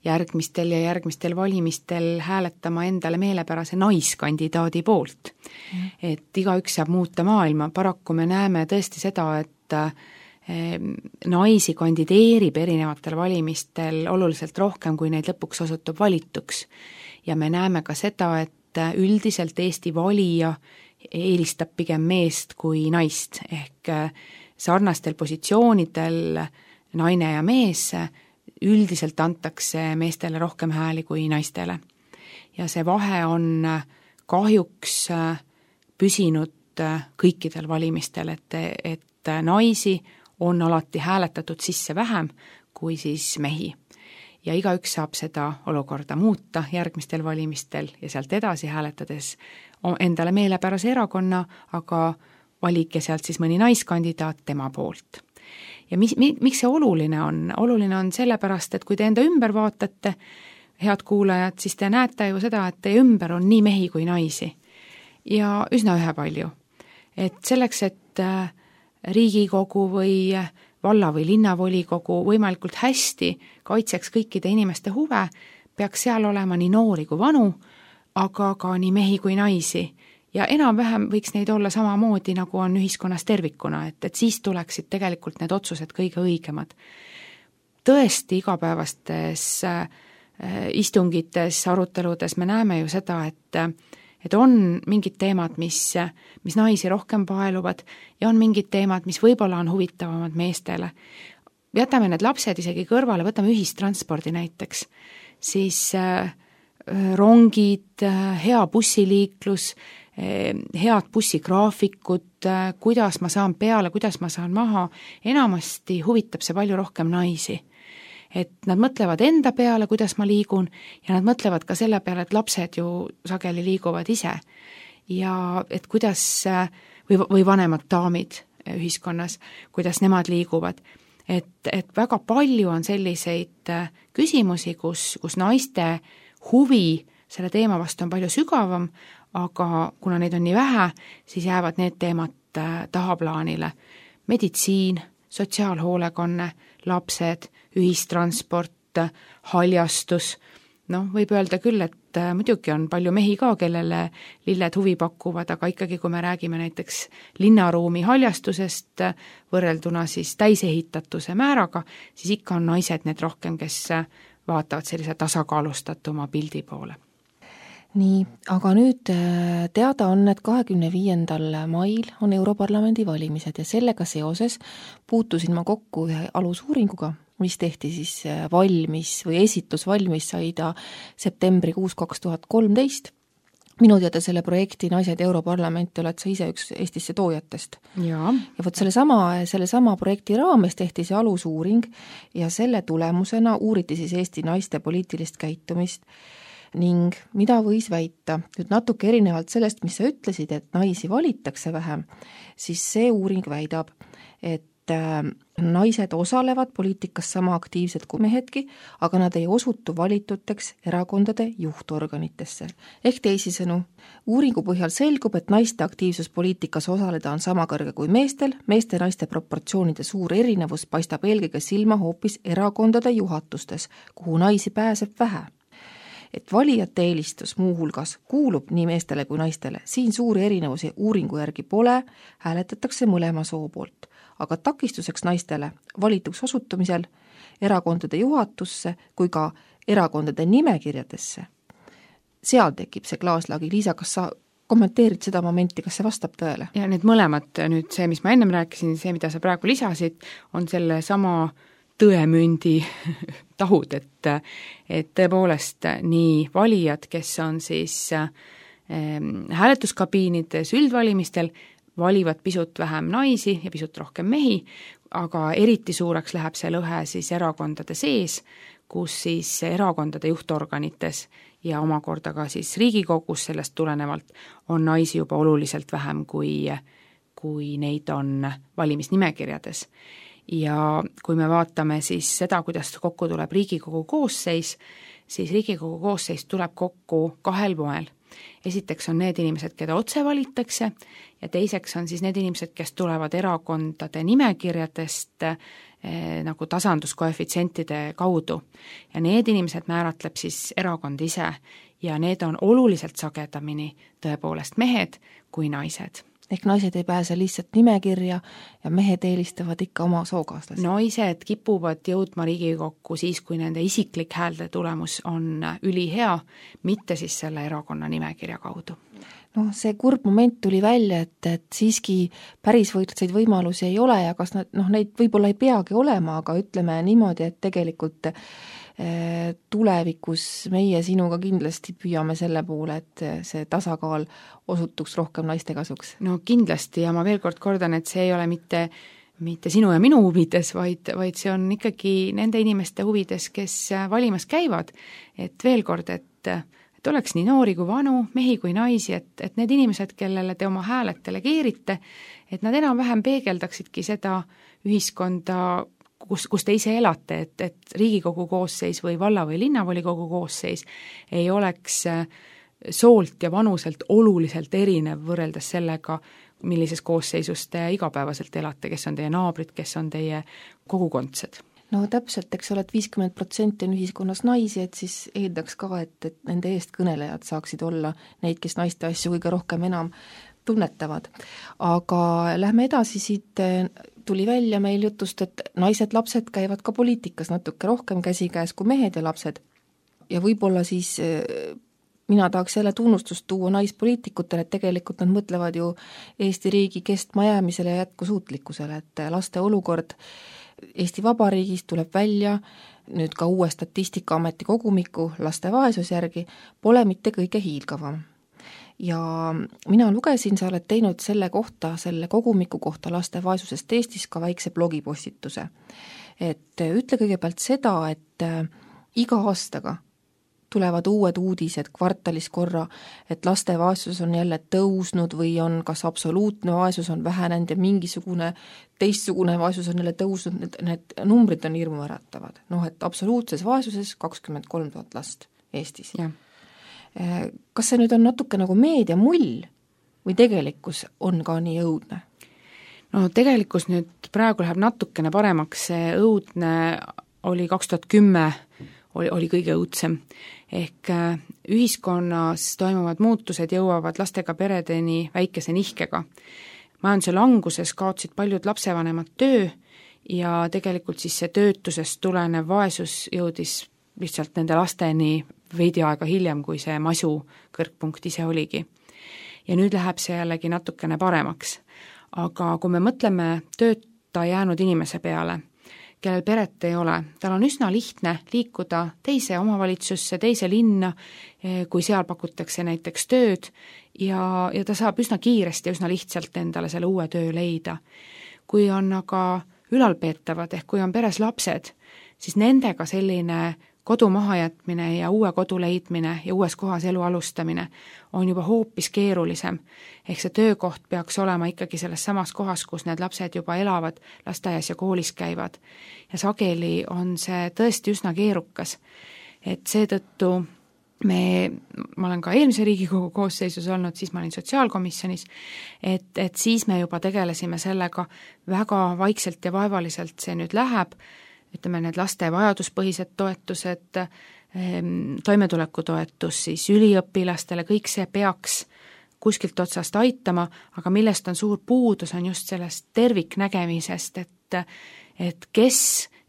järgmistel ja järgmistel valimistel hääletama endale meelepärase naiskandidaadi poolt. Mm. Et igaüks saab muuta maailma. Paraku me näeme tõesti seda, et naisi kandideerib erinevatel valimistel oluliselt rohkem, kui neid lõpuks osutub valituks. Ja me näeme ka seda, et üldiselt Eesti valija eelistab pigem meest kui naist, ehk sarnastel positsioonidel naine ja mees üldiselt antakse meestele rohkem hääli kui naistele. Ja see vahe on kahjuks püsinud kõikidel valimistel, et, et naisi on alati hääletatud sisse vähem kui siis mehi. Ja igaüks saab seda olukorda muuta järgmistel valimistel ja sealt edasi hääletades endale meelepärase erakonna, aga valige sealt siis mõni naiskandidaat tema poolt. Ja mis, miks see oluline on? Oluline on sellepärast, et kui te enda ümber vaatate, head kuulajad, siis te näete ju seda, et teie ümber on nii mehi kui naisi. Ja üsna ühepalju. Et selleks, et Riigikogu või valla- või linnavolikogu võimalikult hästi kaitseks kõikide inimeste huve, peaks seal olema nii noori kui vanu, aga ka nii mehi kui naisi. Ja enam-vähem võiks neid olla samamoodi, nagu on ühiskonnas tervikuna, et, et siis tuleksid tegelikult need otsused kõige õigemad. Tõesti igapäevastes äh, istungites, aruteludes me näeme ju seda, et et on mingid teemad, mis, mis naisi rohkem paeluvad ja on mingid teemad, mis võib-olla on huvitavamad meestele. Jätame need lapsed isegi kõrvale, võtame ühistranspordi näiteks, siis äh, rongid, hea bussiliiklus, äh, head bussigraafikud, äh, kuidas ma saan peale, kuidas ma saan maha, enamasti huvitab see palju rohkem naisi. Et nad mõtlevad enda peale, kuidas ma liigun, ja nad mõtlevad ka selle peale, et lapsed ju sageli liiguvad ise. Ja et kuidas, või, või vanemad daamid ühiskonnas, kuidas nemad liiguvad. Et, et väga palju on selliseid küsimusi, kus, kus naiste huvi selle teema vastu on palju sügavam, aga kuna neid on nii vähe, siis jäävad need teemad tahaplaanile. Meditsiin, sotsiaalhoolekanne, lapsed, ühistransport, haljastus, noh, võib öelda küll, et muidugi on palju mehi ka, kellele lilled huvi pakuvad, aga ikkagi, kui me räägime näiteks linnaruumi haljastusest võrrelduna siis täisehitatuse määraga, siis ikka on naised need rohkem, kes vaatavad sellise tasakaalustatuma pildi poole. Nii, aga nüüd teada on, et kahekümne viiendal mail on Europarlamendi valimised ja sellega seoses puutusin ma kokku ühe alusuuringuga, mis tehti siis valmis või esitlus valmis sai ta septembrikuus kaks tuhat kolmteist. Minu teada selle projekti Naised Europarlamenti oled sa ise üks Eestisse toojatest. Ja, ja võt selle sama, selle sama projekti raames tehti see alusuuring ja selle tulemusena uuriti siis Eesti naiste poliitilist käitumist ning mida võis väita. Nüüd natuke erinevalt sellest, mis sa ütlesid, et naisi valitakse vähem, siis see uuring väidab, et naised osalevad poliitikas sama aktiivselt kui mehedki, aga nad ei osutu valituteks erakondade juhtorganitesse. Ehk teisisõnu, uuringu põhjal selgub, et naiste aktiivsus poliitikas osaleda on sama kõrge kui meestel, meeste ja naiste proportsioonide suur erinevus paistab eelkõige silma hoopis erakondade juhatustes, kuhu naisi pääseb vähe. Et valijate eelistus muuhulgas kuulub nii meestele kui naistele, siin suuri erinevusi uuringu järgi pole, hääletatakse mõlema soo poolt. Aga takistuseks naistele valituks osutumisel erakondade juhatusse kui ka erakondade nimekirjadesse. Seal tekib see klaaslagi. Liisa, kas sa kommenteerid seda momenti, kas see vastab tõele? Ja need mõlemad, nüüd see, mis ma ennem rääkisin, see, mida sa praegu lisasid, on selle sama tõemündi tahud, et, et tõepoolest nii valijad, kes on siis äh, hääletuskabiinides üldvalimistel, valivad pisut vähem naisi ja pisut rohkem mehi, aga eriti suureks läheb see lõhe siis erakondade sees, kus siis erakondade juhtorganites ja omakorda ka siis Riigikogus sellest tulenevalt on naisi juba oluliselt vähem, kui, kui neid on valimisnimekirjades. Ja kui me vaatame siis seda, kuidas kokku tuleb Riigikogu koosseis, siis Riigikogu koosseis tuleb kokku kahel moel. Esiteks on need inimesed, keda otse valitakse ja teiseks on siis need inimesed, kes tulevad erakondade nimekirjadest eh, nagu tasanduskoefitsientide kaudu. Ja need inimesed määratleb siis erakond ise ja need on oluliselt sagedamini tõepoolest mehed kui naised. Ehk naised ei pääse lihtsalt nimekirja ja mehed eelistavad ikka oma sookaaslasi. Naised kipuvad jõudma Riigikokku siis, kui nende isiklik häälte tulemus on ülihea, mitte siis selle erakonna nimekirja kaudu. No see kurb moment tuli välja, et, et siiski päris võrdseid võimalusi ei ole ja kas nad, noh, neid võib-olla ei peagi olema, aga ütleme niimoodi, et tegelikult tulevikus meie sinuga kindlasti püüame selle poole, et see tasakaal osutuks rohkem naiste kasuks. No kindlasti ja ma veel kord kordan, et see ei ole mitte mitte sinu ja minu huvides, vaid, vaid see on ikkagi nende inimeste huvides, kes valimas käivad. Et veel kord, et, et oleks nii noori kui vanu, mehi kui naisi, et, et need inimesed, kellele te oma hääled delegeerite, et nad enam-vähem peegeldaksidki seda ühiskonda, kus, kus te ise elate, et, et Riigikogu koosseis või valla- või linnavolikogu koosseis ei oleks soolt ja vanuselt oluliselt erinev võrreldes sellega, millises koosseisus te igapäevaselt elate, kes on teie naabrid, kes on teie kogukondsed. No täpselt, eks ole, et viiskümmend protsenti on ühiskonnas naisi, et siis eeldaks ka, et, et nende eest kõnelejad saaksid olla neid, kes naiste asju kõige rohkem enam tunnetavad. Aga lähme edasi, siit tuli välja meil jutust, et naised, lapsed käivad ka poliitikas natuke rohkem käsikäes kui mehed ja lapsed. Ja võib-olla siis mina tahaks jälle tunnustust tuua naispoliitikutele, et tegelikult nad mõtlevad ju Eesti riigi kestmajäämisele ja jätkusuutlikkusele, et laste olukord Eesti Vabariigis tuleb välja nüüd ka uue Statistikaameti kogumiku laste vaesusjärgi, pole mitte kõige hiilgavam. Ja mina lugesin, sa oled teinud selle kohta, selle kogumiku kohta laste vaesusest Eestis ka väikse blogipostituse. Et ütle kõigepealt seda, et iga aastaga tulevad uued uudised kvartalis korra, et laste vaesus on jälle tõusnud või on kas absoluutne vaesus on vähenenud ja mingisugune teistsugune vaesus on jälle tõusnud, need, need numbrid on hirmuäratavad. Noh, et absoluutses vaesuses kakskümmend kolm tuhat last Eestis. Ja. Kas see nüüd on natuke nagu meedia mull või tegelikkus on ka nii õudne? No tegelikkus nüüd praegu läheb natukene paremaks, see õudne oli kaks tuhat kümme oli, oli kõige õudsem. Ehk ühiskonnas toimuvad muutused jõuavad lastega peredeni väikese nihkega. Majanduse languses kaotsid paljud lapsevanemad töö ja tegelikult siis see töötusest tulenev vaesus jõudis lihtsalt nende lasteni veidi aega hiljem, kui see masu kõrgpunkt ise oligi. Ja nüüd läheb see jällegi natukene paremaks. Aga kui me mõtleme tööta jäänud inimese peale, kellel peret ei ole, tal on üsna lihtne liikuda teise omavalitsusse, teise linna, kui seal pakutakse näiteks tööd ja, ja ta saab üsna kiiresti ja üsna lihtsalt endale selle uue töö leida. Kui on aga ülalpeetavad ehk kui on peres lapsed, siis nendega selline kodu mahajätmine ja uue kodu leidmine ja uues kohas elu alustamine on juba hoopis keerulisem. Ehk see töökoht peaks olema ikkagi selles samas kohas, kus need lapsed juba elavad, lasteaias ja koolis käivad. Ja sageli on see tõesti üsna keerukas. Et seetõttu me, ma olen ka eelmise Riigikogu koosseisus olnud, siis ma olin sotsiaalkomisjonis, et, et siis me juba tegelesime sellega väga vaikselt ja vaevaliselt see nüüd läheb, ütleme need laste vajaduspõhised toetused, toimetulekutoetus siis üliõpilastele, kõik see peaks kuskilt otsast aitama, aga millest on suur puudus, on just sellest terviknägemisest, et, et kes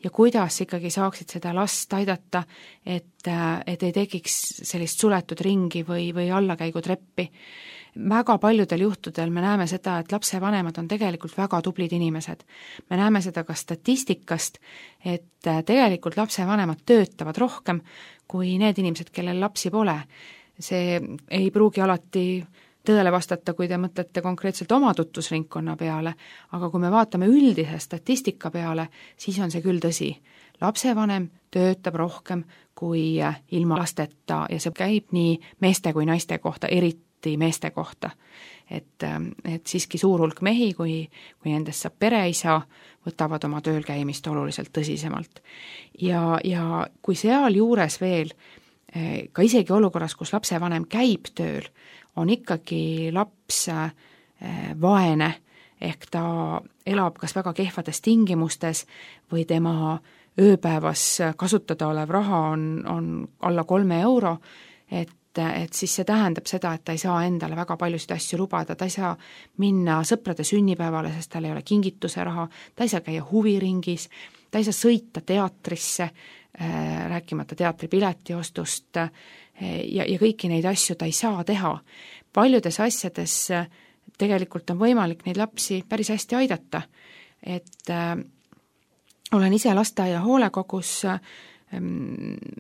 ja kuidas ikkagi saaksid seda last aidata, et, et ei tekiks sellist suletud ringi või, või allakäigutreppi. Väga paljudel juhtudel me näeme seda, et lapsevanemad on tegelikult väga tublid inimesed. Me näeme seda ka statistikast, et tegelikult lapsevanemad töötavad rohkem kui need inimesed, kellel lapsi pole. See ei pruugi alati tõele vastata, kui te mõtlete konkreetselt oma tutvusringkonna peale, aga kui me vaatame üldise statistika peale, siis on see küll tõsi. Lapsevanem töötab rohkem kui ilma lasteta ja see käib nii meeste kui naiste kohta, eriti meeste kohta. Et, et siiski suur hulk mehi, kui, kui nendest saab pereisa, võtavad oma tööl käimist oluliselt tõsisemalt. Ja, ja kui seal juures veel, ka isegi olukorras, kus lapsevanem käib tööl, on ikkagi laps vaene, ehk ta elab kas väga kehvades tingimustes või tema ööpäevas kasutada olev raha on, on alla kolme euro, et et siis see tähendab seda, et ta ei saa endale väga paljusid asju lubada, ta ei saa minna sõprade sünnipäevale, sest tal ei ole kingituse raha, ta ei saa käia huviringis, ta ei saa sõita teatrisse, äh, rääkimata teatripileti ostust äh, ja, ja kõiki neid asju ta ei saa teha. Paljudes asjades äh, tegelikult on võimalik neid lapsi päris hästi aidata, et äh, olen ise lasteaia hoolekogus äh,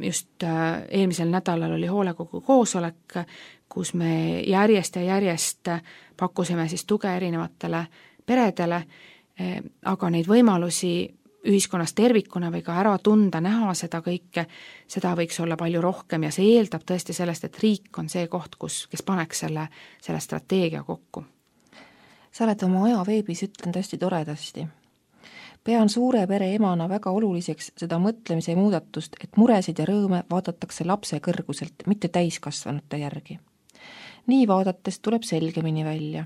just eelmisel nädalal oli hoolekogu koosolek, kus me järjest ja järjest pakkusime siis tuge erinevatele peredele aga neid võimalusi ühiskonnas tervikuna või ka ära tunda, näha seda kõike, seda võiks olla palju rohkem ja see eeldab tõesti sellest, et riik on see koht, kus, kes paneks selle, selle strateegia kokku. Sa oled oma aja veebis ütlenud hästi toredasti. Pean suure pere emana väga oluliseks seda mõtlemise muudatust, et muresid ja rõõme vaadatakse lapse kõrguselt, mitte täiskasvanute järgi. Nii vaadates tuleb selgemini välja,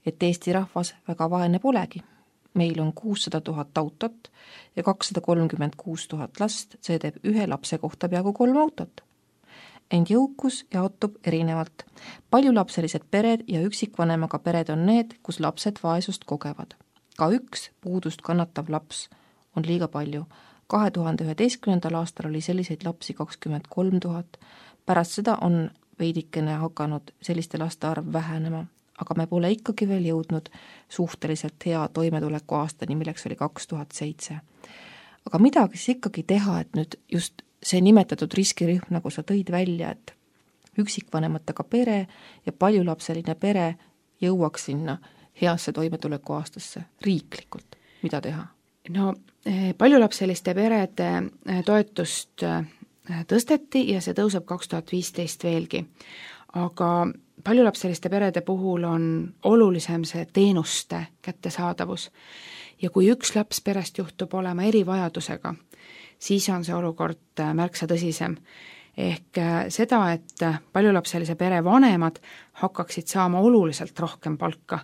et Eesti rahvas väga vaene polegi. Meil on kuussada tuhat autot ja kakssada kolmkümmend kuus tuhat last, see teeb ühe lapse kohta peaaegu kolm autot. Ent jõukus jaotub erinevalt. Paljulapselised pered ja üksikvanemaga pered on need, kus lapsed vaesust kogevad. Ka üks puudust kannatav laps on liiga palju. kahe tuhande üheteistkümnendal aastal oli selliseid lapsi kakskümmend kolm tuhat. Pärast seda on veidikene hakanud selliste laste arv vähenema. Aga me pole ikkagi veel jõudnud suhteliselt hea toimetuleku aastani, milleks oli kaks tuhat seitse. Aga midagi siis ikkagi teha, et nüüd just see nimetatud riskirühm, nagu sa tõid välja, et üksikvanematega pere ja paljulapseline pere jõuaks sinna heasse toimetuleku aastasse riiklikult. Mida teha? No paljulapseliste perede toetust tõsteti ja see tõuseb kaks tuhat viisteist veelgi. Aga paljulapseliste perede puhul on olulisem see teenuste kättesaadavus. Ja kui üks laps perest juhtub olema erivajadusega, siis on see olukord märksa tõsisem. Ehk seda, et paljulapselise pere vanemad hakkaksid saama oluliselt rohkem palka,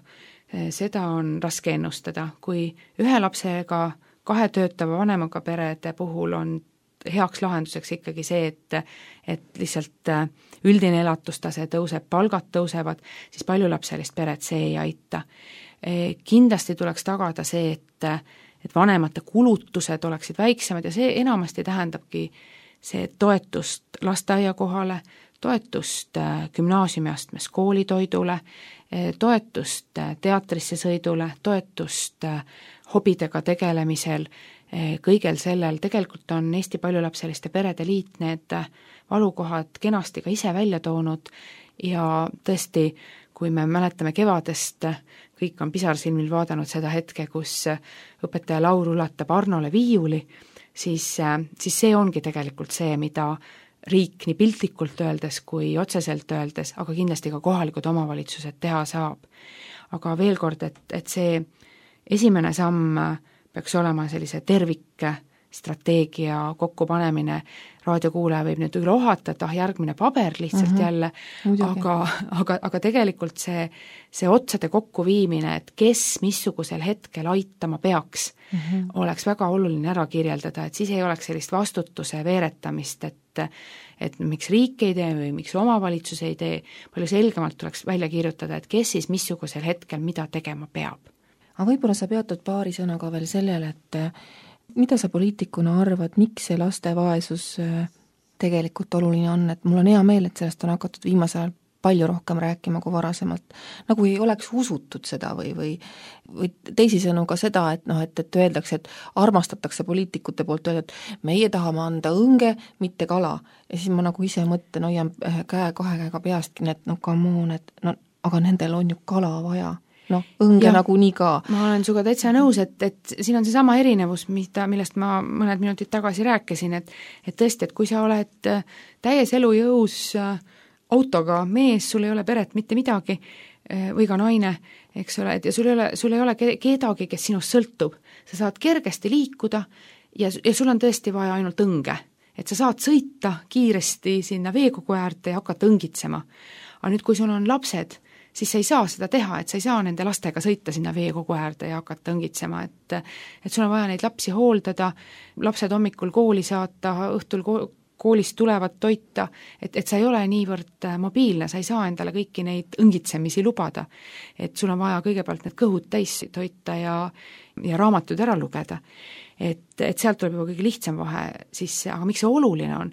seda on raske ennustada. Kui ühe lapsega kahe töötava vanemaga perede puhul on heaks lahenduseks ikkagi see, et, et lihtsalt üldine elatustase tõuseb, palgad tõusevad, siis paljulapselist peret see ei aita. Kindlasti tuleks tagada see, et, et vanemate kulutused oleksid väiksemad ja see enamasti tähendabki see toetust lasteaia kohale, toetust gümnaasiumiastmes koolitoidule, toetust teatrisse sõidule, toetust hobidega tegelemisel, kõigel sellel. Tegelikult on Eesti Paljulapseliste Perede Liit need valukohad kenasti ka ise välja toonud ja tõesti, kui me mäletame kevadest, kõik on pisarsilmil vaadanud seda hetke, kus õpetaja Laur ulatab Arnole viiuli, siis, siis see ongi tegelikult see, mida riik nii piltlikult öeldes kui otseselt öeldes, aga kindlasti ka kohalikud omavalitsused teha saab. Aga veel kord, et, et see esimene samm peaks olema sellise tervikstrateegia kokkupanemine. Raadiokuulaja võib nüüd üle ohata, et ah, järgmine paber lihtsalt mm-hmm. jälle, aga, aga, aga tegelikult see, see otsade kokkuviimine, et kes missugusel hetkel aitama peaks, mm-hmm. oleks väga oluline ära kirjeldada, et siis ei oleks sellist vastutuse veeretamist, et, et miks riik ei tee või miks omavalitsus ei tee, palju selgemalt tuleks välja kirjutada, et kes siis missugusel hetkel mida tegema peab. Aga võib-olla sa peatud paari sõnaga veel sellele, et mida sa poliitikuna arvad, miks see laste vaesus tegelikult oluline on, et mul on hea meel, et sellest on hakatud viimasel ajal palju rohkem rääkima kui varasemalt, nagu ei oleks usutud seda või, või, või teisisõnu ka seda, et, noh, et, et öeldakse, et armastatakse poliitikute poolt öelda, et meie tahame anda õnge, mitte kala. Ja siis ma nagu ise mõtlen, hoian käe kahe käega peastki, et no come on, et no, aga nendel on ju kala vaja. Noh, õnge ja, nagu nii ka. Ma olen suga täitsa nõus, et, et siin on see sama erinevus, mida, millest ma mõned minutid tagasi rääkisin, et, et tõesti, et kui sa oled täies elujõus autoga mees, sul ei ole peret mitte midagi või ka naine, eks ole, et ja sul ei ole, sul ei ole kedagi, kes sinust sõltub. Sa saad kergesti liikuda ja, ja sul on tõesti vaja ainult õnge, et sa saad sõita kiiresti sinna veekogu äärde ja hakata õngitsema. Aga nüüd, kui sul on lapsed, siis sa ei saa seda teha, et sa ei saa nende lastega sõita sinna veekogu äärde ja hakata õngitsema, et, et sul on vaja neid lapsi hooldada, lapsed hommikul kooli saata, õhtul koolist tulevad toita, et, et sa ei ole niivõrd mobiilne, sa ei saa endale kõiki neid õngitsemisi lubada. Et sul on vaja kõigepealt need kõhud täis toita ja, ja raamatud ära lugeda. Et, et sealt tuleb juba kõige lihtsam vahe sisse, aga miks see oluline on?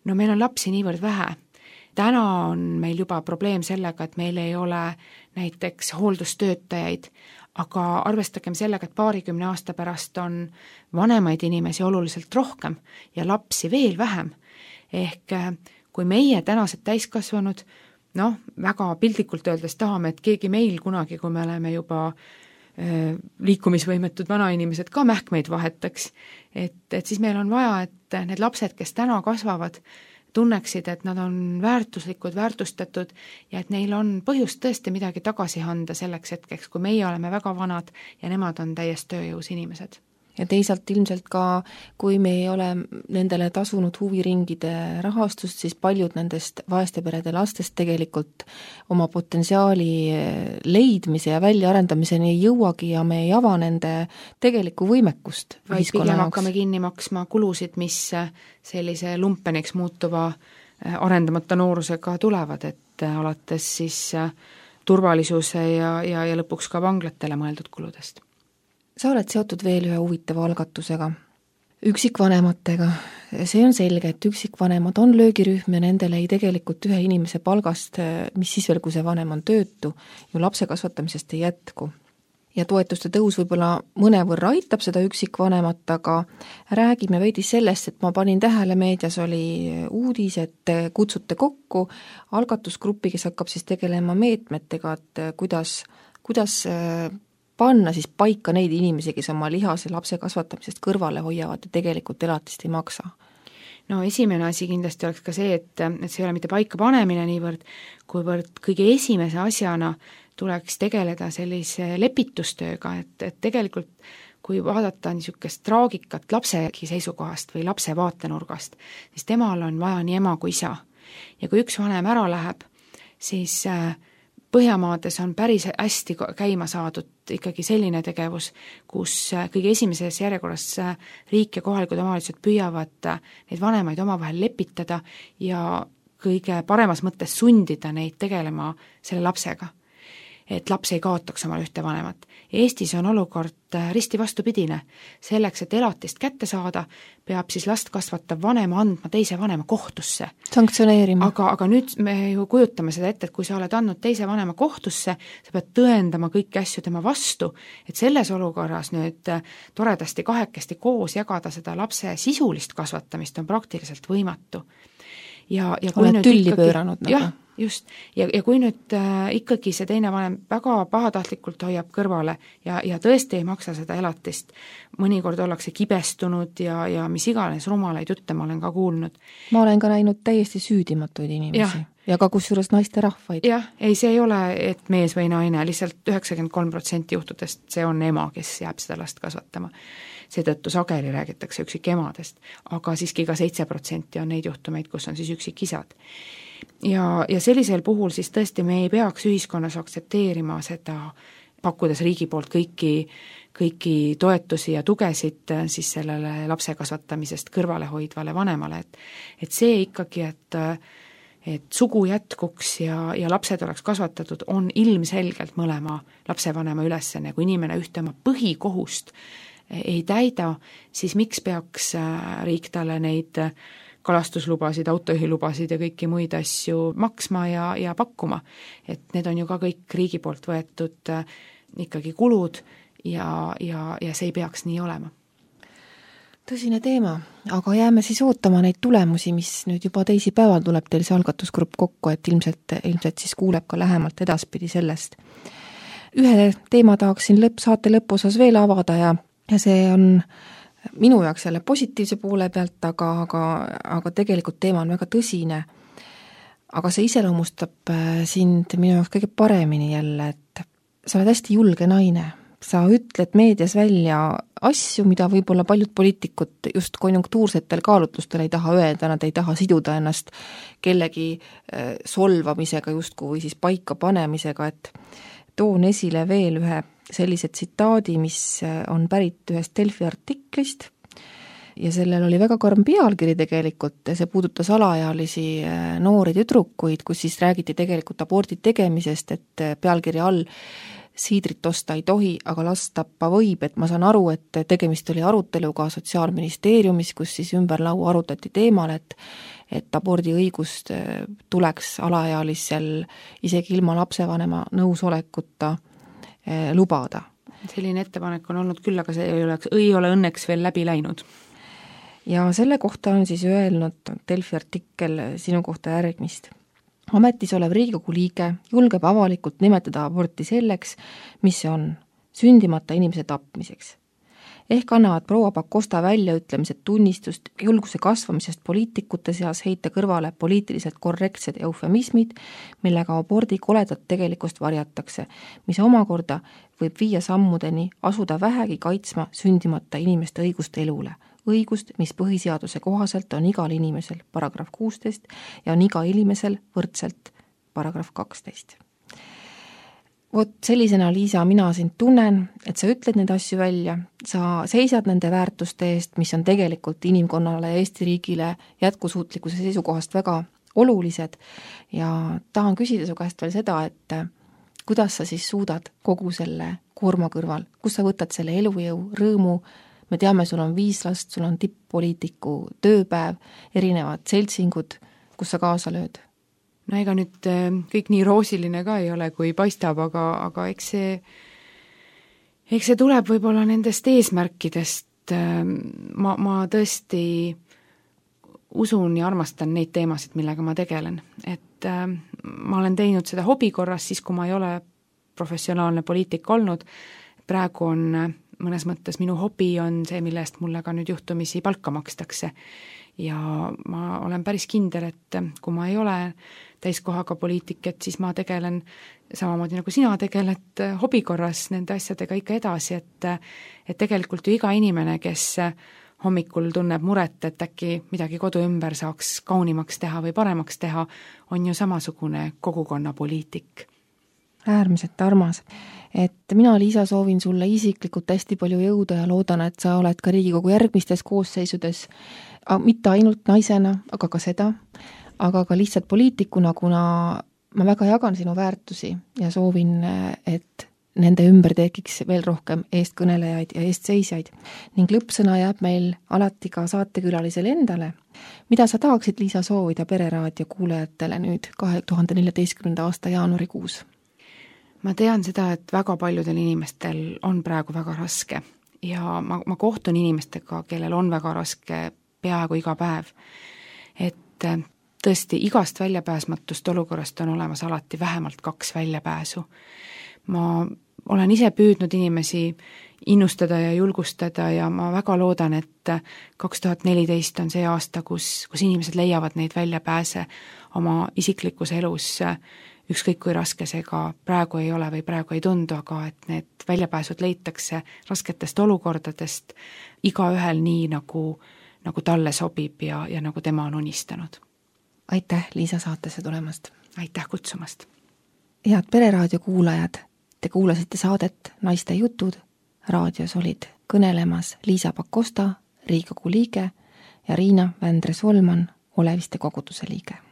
No meil on lapsi niivõrd vähe. Täna on meil juba probleem sellega, et meil ei ole näiteks hooldustöötajaid, aga arvestagem sellega, et paarikümne aasta pärast on vanemaid inimesi oluliselt rohkem ja lapsi veel vähem. Ehk kui meie tänased täiskasvanud, noh, väga piltlikult öeldes tahame, et keegi meil kunagi, kui me oleme juba liikumisvõimetud vanainimesed ka mähkmeid vahetaks. Et, et siis meil on vaja, et need lapsed, kes täna kasvavad, tunneksid, et nad on väärtuslikud, väärtustatud ja et neil on põhjust tõesti midagi tagasi anda selleks hetkeks, kui meie oleme väga vanad ja nemad on täiesti tööjõus inimesed. Ja teisalt ilmselt ka, kui me ei ole nendele tasunud huviringide rahastust, siis paljud nendest vaeste perede lastest tegelikult oma potentsiaali leidmise ja väljaarendamiseni ei jõuagi ja me ei ava nende tegelikku võimekust. Vaid pigem hakkame kinni maksma kulusid, mis sellise lumpeniks muutuva arendamata noorusega tulevad, et alates siis turvalisuse ja, ja, ja lõpuks ka vanglatele mõeldud kuludest. Sa oled seotud veel ühe huvitava algatusega, üksikvanematega. See on selge, et üksikvanemad on löögirühm ja nendele ei tegelikult ühe inimese palgast, mis siis veel, kui see vanem on töötu, ju lapse kasvatamisest ei jätku. Ja toetuste tõus võib-olla mõnevõrra aitab seda üksikvanemat, aga räägime veidi sellest, et ma panin tähele, meedias oli uudis, et kutsute kokku algatusgruppi, kes hakkab siis tegelema meetmetega, et kuidas, kuidas panna siis paika neid inimesi, kes oma lihase lapse kasvatamisest kõrvale hoiavad ja tegelikult elatist ei maksa? No esimene asi kindlasti oleks ka see, et, et see ei ole mitte paika panemine niivõrd, kuivõrd kõige esimese asjana tuleks tegeleda sellise lepitustööga, et, et tegelikult kui vaadata niisugust traagikat lapsegi seisukohast või lapse vaatenurgast, siis temal on vaja nii ema kui isa. Ja kui üks vanem ära läheb, siis Põhjamaades on päris hästi käima saadud ikkagi selline tegevus, kus kõige esimeses järjekorras riik ja kohalikud omavalitsused püüavad neid vanemaid omavahel lepitada ja kõige paremas mõttes sundida neid tegelema selle lapsega, et laps ei kaotaks omal ühte vanemat. Eestis on olukord risti vastupidine. Selleks, et elatist kätte saada, peab siis last kasvatav vanema andma teise vanema kohtusse. Sanktsioneerima. Aga, aga nüüd me ju kujutame seda ette, et kui sa oled andnud teise vanema kohtusse, sa pead tõendama kõiki asju tema vastu, et selles olukorras nüüd toredasti kahekesti koos jagada seda lapse sisulist kasvatamist on praktiliselt võimatu. Ja, ja kui oled tülli ikkagi, pööranud nagu. Jah, just. Ja, ja kui nüüd äh, ikkagi see teine vanem väga pahatahtlikult hoiab kõrvale ja, ja tõesti ei maksa seda elatist, mõnikord ollakse kibestunud ja, ja mis iganes rumalaid jutte ma olen ka kuulnud. Ma olen ka näinud täiesti süüdimatuid inimesi ja, ja ka kusjuures naiste rahvaid. Jah, ei, see ei ole, et mees või naine, lihtsalt üheksakümmend kolm protsenti juhtudest see on ema, kes jääb seda last kasvatama. Seetõttu sageli räägitakse üksik emadest, aga siiski ka seitse protsenti on neid juhtumeid, kus on siis üksik isad. Ja, ja sellisel puhul siis tõesti me ei peaks ühiskonnas aktsepteerima seda, pakkudes riigi poolt kõiki, kõiki toetusi ja tugesid siis sellele lapse kasvatamisest kõrvale hoidvale vanemale, et, et see ikkagi, et et sugu jätkuks ja, ja lapsed oleks kasvatatud, on ilmselgelt mõlema lapsevanema ülesanne, kui inimene ühte oma põhikohust ei täida, siis miks peaks riik talle neid kalastuslubasid, autojuhilubasid ja kõiki muid asju maksma ja, ja pakkuma. Et need on ju ka kõik riigi poolt võetud ikkagi kulud ja, ja, ja see ei peaks nii olema. Tõsine teema, aga jääme siis ootama neid tulemusi, mis nüüd juba teisipäeval tuleb teil see algatusgrupp kokku, et ilmselt, ilmselt siis kuuleb ka lähemalt edaspidi sellest. Ühe teema tahaksin lõpp, saate lõpuosas veel avada ja ja see on minu jaoks jälle positiivse poole pealt, aga, aga, aga tegelikult teema on väga tõsine. Aga see iseloomustab sind minu jaoks kõige paremini jälle, et sa oled hästi julge naine. Sa ütled meedias välja asju, mida võib-olla paljud poliitikud just konjunktuursetel kaalutlustel ei taha öelda, nad ei taha siduda ennast kellegi solvamisega justkui või siis paika panemisega, et toon esile veel ühe sellise tsitaadi, mis on pärit ühest Delfi artiklist ja sellel oli väga karm pealkiri tegelikult, see puudutas alaealisi noori tüdrukuid, kus siis räägiti tegelikult abordi tegemisest, et pealkiri all siidrit osta ei tohi, aga last tappa võib, et ma saan aru, et tegemist oli aruteluga Sotsiaalministeeriumis, kus siis ümber laua arutati teemal, et et abordi õigust tuleks alaealisel isegi ilma lapsevanema nõusolekuta lubada. Selline ettepanek on olnud küll, aga see ei ole, ei ole õnneks veel läbi läinud. Ja selle kohta on siis öelnud Delfi artikkel sinu kohta järgmist. Ametis olev Riigikogu liige julgeb avalikult nimetada aborti selleks, mis see on. sündimata inimese tapmiseks. Ehk annavad proua Pakosta väljaütlemised tunnistust julguse kasvamisest poliitikute seas heita kõrvale poliitiliselt korrektsed eufemismid, millega abordi koledat tegelikkust varjatakse, mis omakorda võib viia sammudeni asuda vähegi kaitsma sündimata inimeste õigust elule. Õigust, mis põhiseaduse kohaselt on igal inimesel paragrahv kuusteist ja on iga inimesel võrdselt paragrahv kaksteist. Vot sellisena, Liisa, mina sind tunnen, et sa ütled neid asju välja, sa seisad nende väärtuste eest, mis on tegelikult inimkonnale ja Eesti riigile jätkusuutlikkuse seisukohast väga olulised ja tahan küsida su käest veel seda, et kuidas sa siis suudad kogu selle koorma kõrval, kus sa võtad selle elujõu, rõõmu, me teame, sul on viis last, sul on tipp-poliitiku tööpäev, erinevad seltsingud, kus sa kaasa lööd? No ega nüüd kõik nii roosiline ka ei ole, kui paistab, aga, aga eks see, eks see tuleb võib-olla nendest eesmärkidest. Ma, ma tõesti usun ja armastan neid teemasid, millega ma tegelen. Et ma olen teinud seda hobi korras siis, kui ma ei ole professionaalne poliitik olnud. Praegu on mõnes mõttes minu hobi on see, mille eest mulle ka nüüd juhtumisi palka makstakse. Ja ma olen päris kindel, et kui ma ei ole täiskohaga poliitik, et siis ma tegelen samamoodi nagu sina tegeled hobi korras nende asjadega ikka edasi, et, et tegelikult ju iga inimene, kes hommikul tunneb muret, et äkki midagi kodu ümber saaks kaunimaks teha või paremaks teha, on ju samasugune kogukonna poliitik. Äärmiselt armas. Et mina, Liisa, soovin sulle isiklikult hästi palju jõuda ja loodan, et sa oled ka Riigikogu järgmistes koosseisudes, mitte ainult naisena, aga ka seda, aga ka lihtsalt poliitikuna, kuna ma väga jagan sinu väärtusi ja soovin, et nende ümber tekiks veel rohkem eestkõnelejaid ja eestseisjaid. Ning lõppsõna jääb meil alati ka saatekülalisele endale. Mida sa tahaksid, Liisa, soovida Pereraadio kuulajatele nüüd kahe tuhande neljateistkümnenda aasta jaanuarikuus? Ma tean seda, et väga paljudel inimestel on praegu väga raske ja ma, ma kohtun inimestega, kellel on väga raske peaaegu iga päev. Et tõesti igast väljapääsmatust olukorrast on olemas alati vähemalt kaks väljapääsu. Ma olen ise püüdnud inimesi innustada ja julgustada ja ma väga loodan, et kaks tuhat neliteist on see aasta, kus, kus inimesed leiavad neid väljapääse oma isiklikus elus, ükskõik kui raske see ka praegu ei ole või praegu ei tundu, aga et need väljapääsud leitakse rasketest olukordadest igaühel nii, nagu, nagu talle sobib ja, ja nagu tema on unistanud. Aitäh, Liisa, saatesse tulemast! Aitäh kutsumast! Head Pereraadio kuulajad, te kuulasite saadet Naiste jutud, raadios olid kõnelemas Liisa Pakosta, Riigikogu liige ja Riina Vändre-Solman, Oleviste koguduse liige.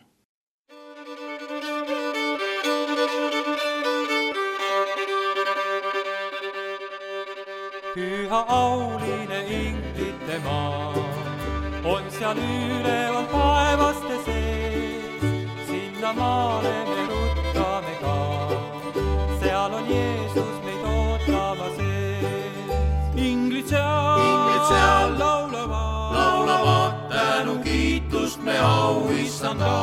Püha auline inglite maa on seal üleval taevaste sees, sinna maale me ruttame ka, seal on Jeesus meid ootama sees. Inglid seal, Inglid seal laulavad, laulavad, tänu kiitust me auissanda.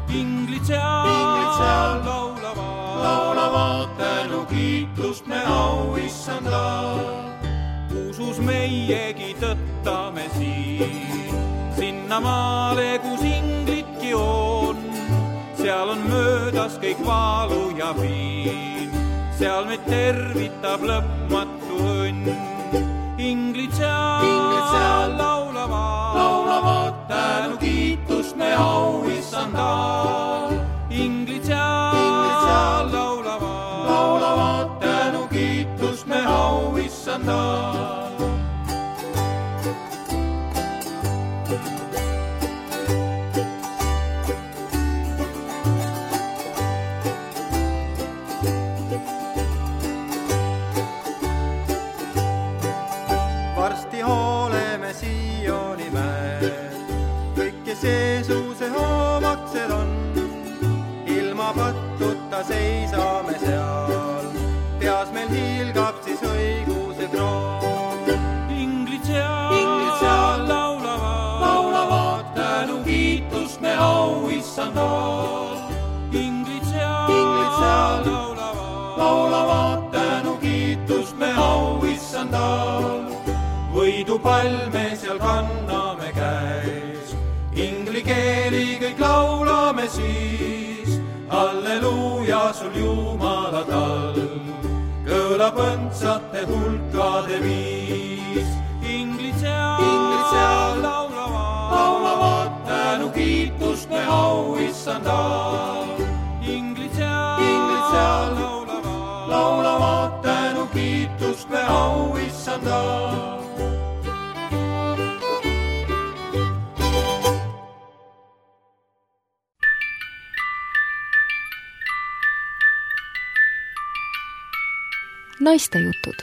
Inglid seal, Inglid seal laulavad, laulavad, tänu kiitust me auissanda. Usus meiegi tõttame siin, sinna maale, kus inglidki on. Seal on möödas kõik vaalu ja piin, seal meid tervitab lõpmatu õnn. Inglid seal, Inglid seal laulavad, laulavad, tänu kiitust me auissanda. Inglid seal, Inglid seal laulavad, laulavad, tänu kiitust me auissanda. Varsti hooleme Sioni mäel, kõik, kes Jeesuse hoomaksed on, ilma pattuta seisame seal, peas meil hiilgab siis õiguse kroon. Inglid seal, Inglid seal laulavad, laulavad, tänu kiitust me auissanda. Inglid seal, Inglid seal laulavad, laulavad, tänu kiitust tal. Võidupall me seal kanname käes, ingli keeli kõik laulame siis. Halleluuja sul Jumala tal, kõlab õndsate hulkade viis. Inglid seal, Inglid seal laulavad, laulavad tänu kiitust me au issandal. Inglid seal, Inglid seal laulavad, laulavad tänu kiitust me au issandal. Naistejutud